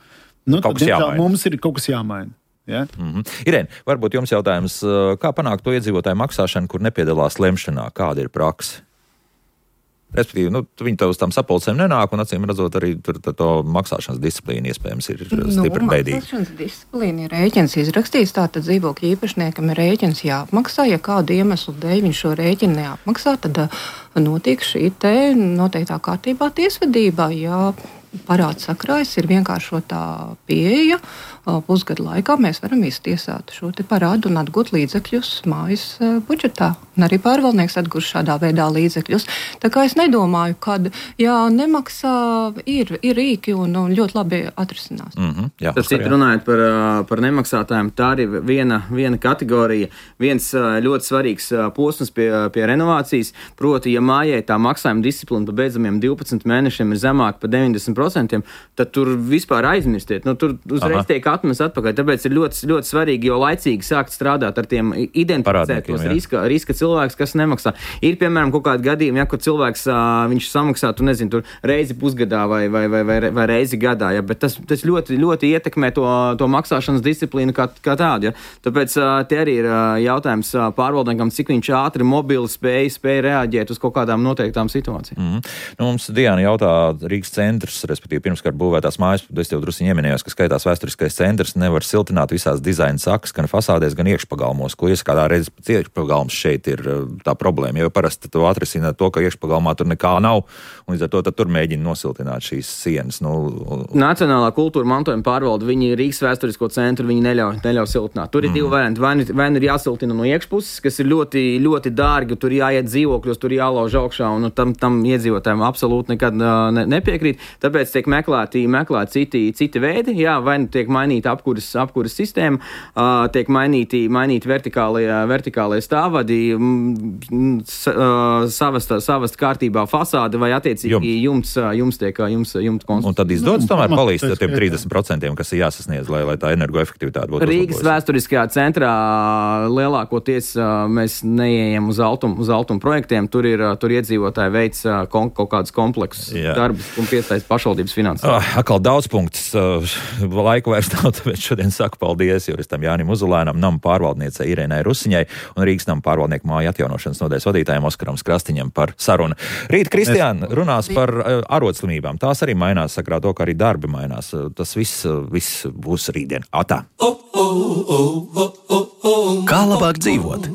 nu, tad diemžēl mums ir kaut kas jāmaina. Ja? Mm-hmm. Irēn, varbūt jums jautājums, kā panākt to iedzīvotāju maksāšanu, kur nepiedalās lemšanā? Kāda ir praksa? Respektīvi, nu, viņi to uz tām sapulcēm nenāk, un acīm redzot, arī tur to maksāšanas disciplīna iespējams ir stipri nu, bēdīga. Maksāšanas disciplīna ir rēķins izrakstīts, tātad dzīvokļa īpašniekam ir rēķins jāapmaksā. Ja kādu iemeslu dēļ viņš šo rēķinu neapmaksā, tad notiek šī te noteiktā kārtībā tiesvedībā. Ja parāds sakrājas, ir vienkāršotā pieeja. Pusgadu laikā mēs varam iztiesāt šo te parādu un atgūt līdzekļus mājas budžetā. Un arī pārvaldnieks atgūs šādā veidā līdzekļus. Tā kā es nedomāju, ka jā, nemaksā ir, ir rīki un, un ļoti labi atrisinās. Mm-hmm, jā, Tas citu runājot par, par nemaksātājiem, tā arī viena, viena kategorija, viens ļoti svarīgs posms pie, pie renovācijas. Proti, ja mājai tā maksājuma disciplīna pa beidzamiem divpadsmit mēnešiem ir zemāka par deviņdesmit procentiem, tad tur vispār aizmirstiet. Nu, tur uzreiz Aha. tiek atmest atpakaļ. Tāpēc ir ļoti, ļoti svarīgi jau laicīgi sākt strādāt ar tiem identificēt tos riska, riska cilvēkus, kas nemaksā. Ir, piemēram, kaut kādi gadījumi, ja, kur cilvēks viņš samaksā, tu nezini, tur reizi pusgadā vai, vai, vai, vai, vai reizi gadā, ja, bet tas, tas ļoti, ļoti ietekmē to, to maksāšanas disciplīnu kā, kā tādu. Ja. Tāpēc te arī ir jautājums pārvaldniekam, cik viņš ātri, mobili spēja, spēja reaģēt uz kaut kādām noteiktām situācijām. Mm-hmm. Nu, mums Diana jautā Rīgas centrs, respektīvi pirmskart būvētās mājas, es tev drusiņi ieminējos, ka skaitās vēsturiskais centrs, nevar siltināt visās dizaina sakas, gan fasādēs, gan iekšpagalmos, ko ieskādā reizes pēc iekšpagalms šeit ir tā problēma, jo parasti to atrisina to, ka iekšpagalmā tur nekā nav, un līdz ar to tad tur mēģina nosiltināt šīs sienas. Nu, Nacionālā kultūra mantojuma pārvalde, viņi Rīgas vēsturisko centru, viņi neļauj, neļauj siltināt. Tur ir mm. divi varianti. Vai, vai ir jāsiltina no iekšpuses, kas ir ļoti, ļoti dārgi, tur jāiet dzīvokļos, tur jālauž augšā, un tam, tam iedzīvotājiem absolūti nekad ne, nepiekrīt. Tāpēc tiek meklēti, meklēti citi, citi veidi, jā, vai nu tiek mainīta apkuras, apkuras sistēma, uh, tiek mainīti, mainīti vertikālie, vertikālie stāvvadi, m, uh, savast, savast kārtībā fasāde vai attiecīgi jums, jums tiek jums, jums konstrukts. Un tad izdodas nu, tomēr palīdz tiem trīsdesmit procentiem, kas ir jāsasniedz, lai, lai tā energoefektivitāte būtu. Rīgas vēsturiskajā centrā lielākoties uh, mēs neejam uz altumu, uz altumu projektiem, tur ir tur iedzīvotāji veids uh, kon, kaut kādus kompleksus darbus un piesaist pašvaldības finansējumu. Oh, atkal daudz punktus. Laika vairs nav, tāpēc šodien saku paldies juristam Jānim Uzulēnam, nama pārvaldniecei Irēnai Rusiņai un Rīgas nama pārvaldnieku māju atjaunošanas nodaļas vadītājiem Oskaram Skrastiņam par sarunu. Rīt Kristiāna runās par arodslimībām. Tās arī mainās, sakrā to, ka arī darbi mainās. Tas viss, viss būs rītdien. Atā! Kā labāk dzīvot?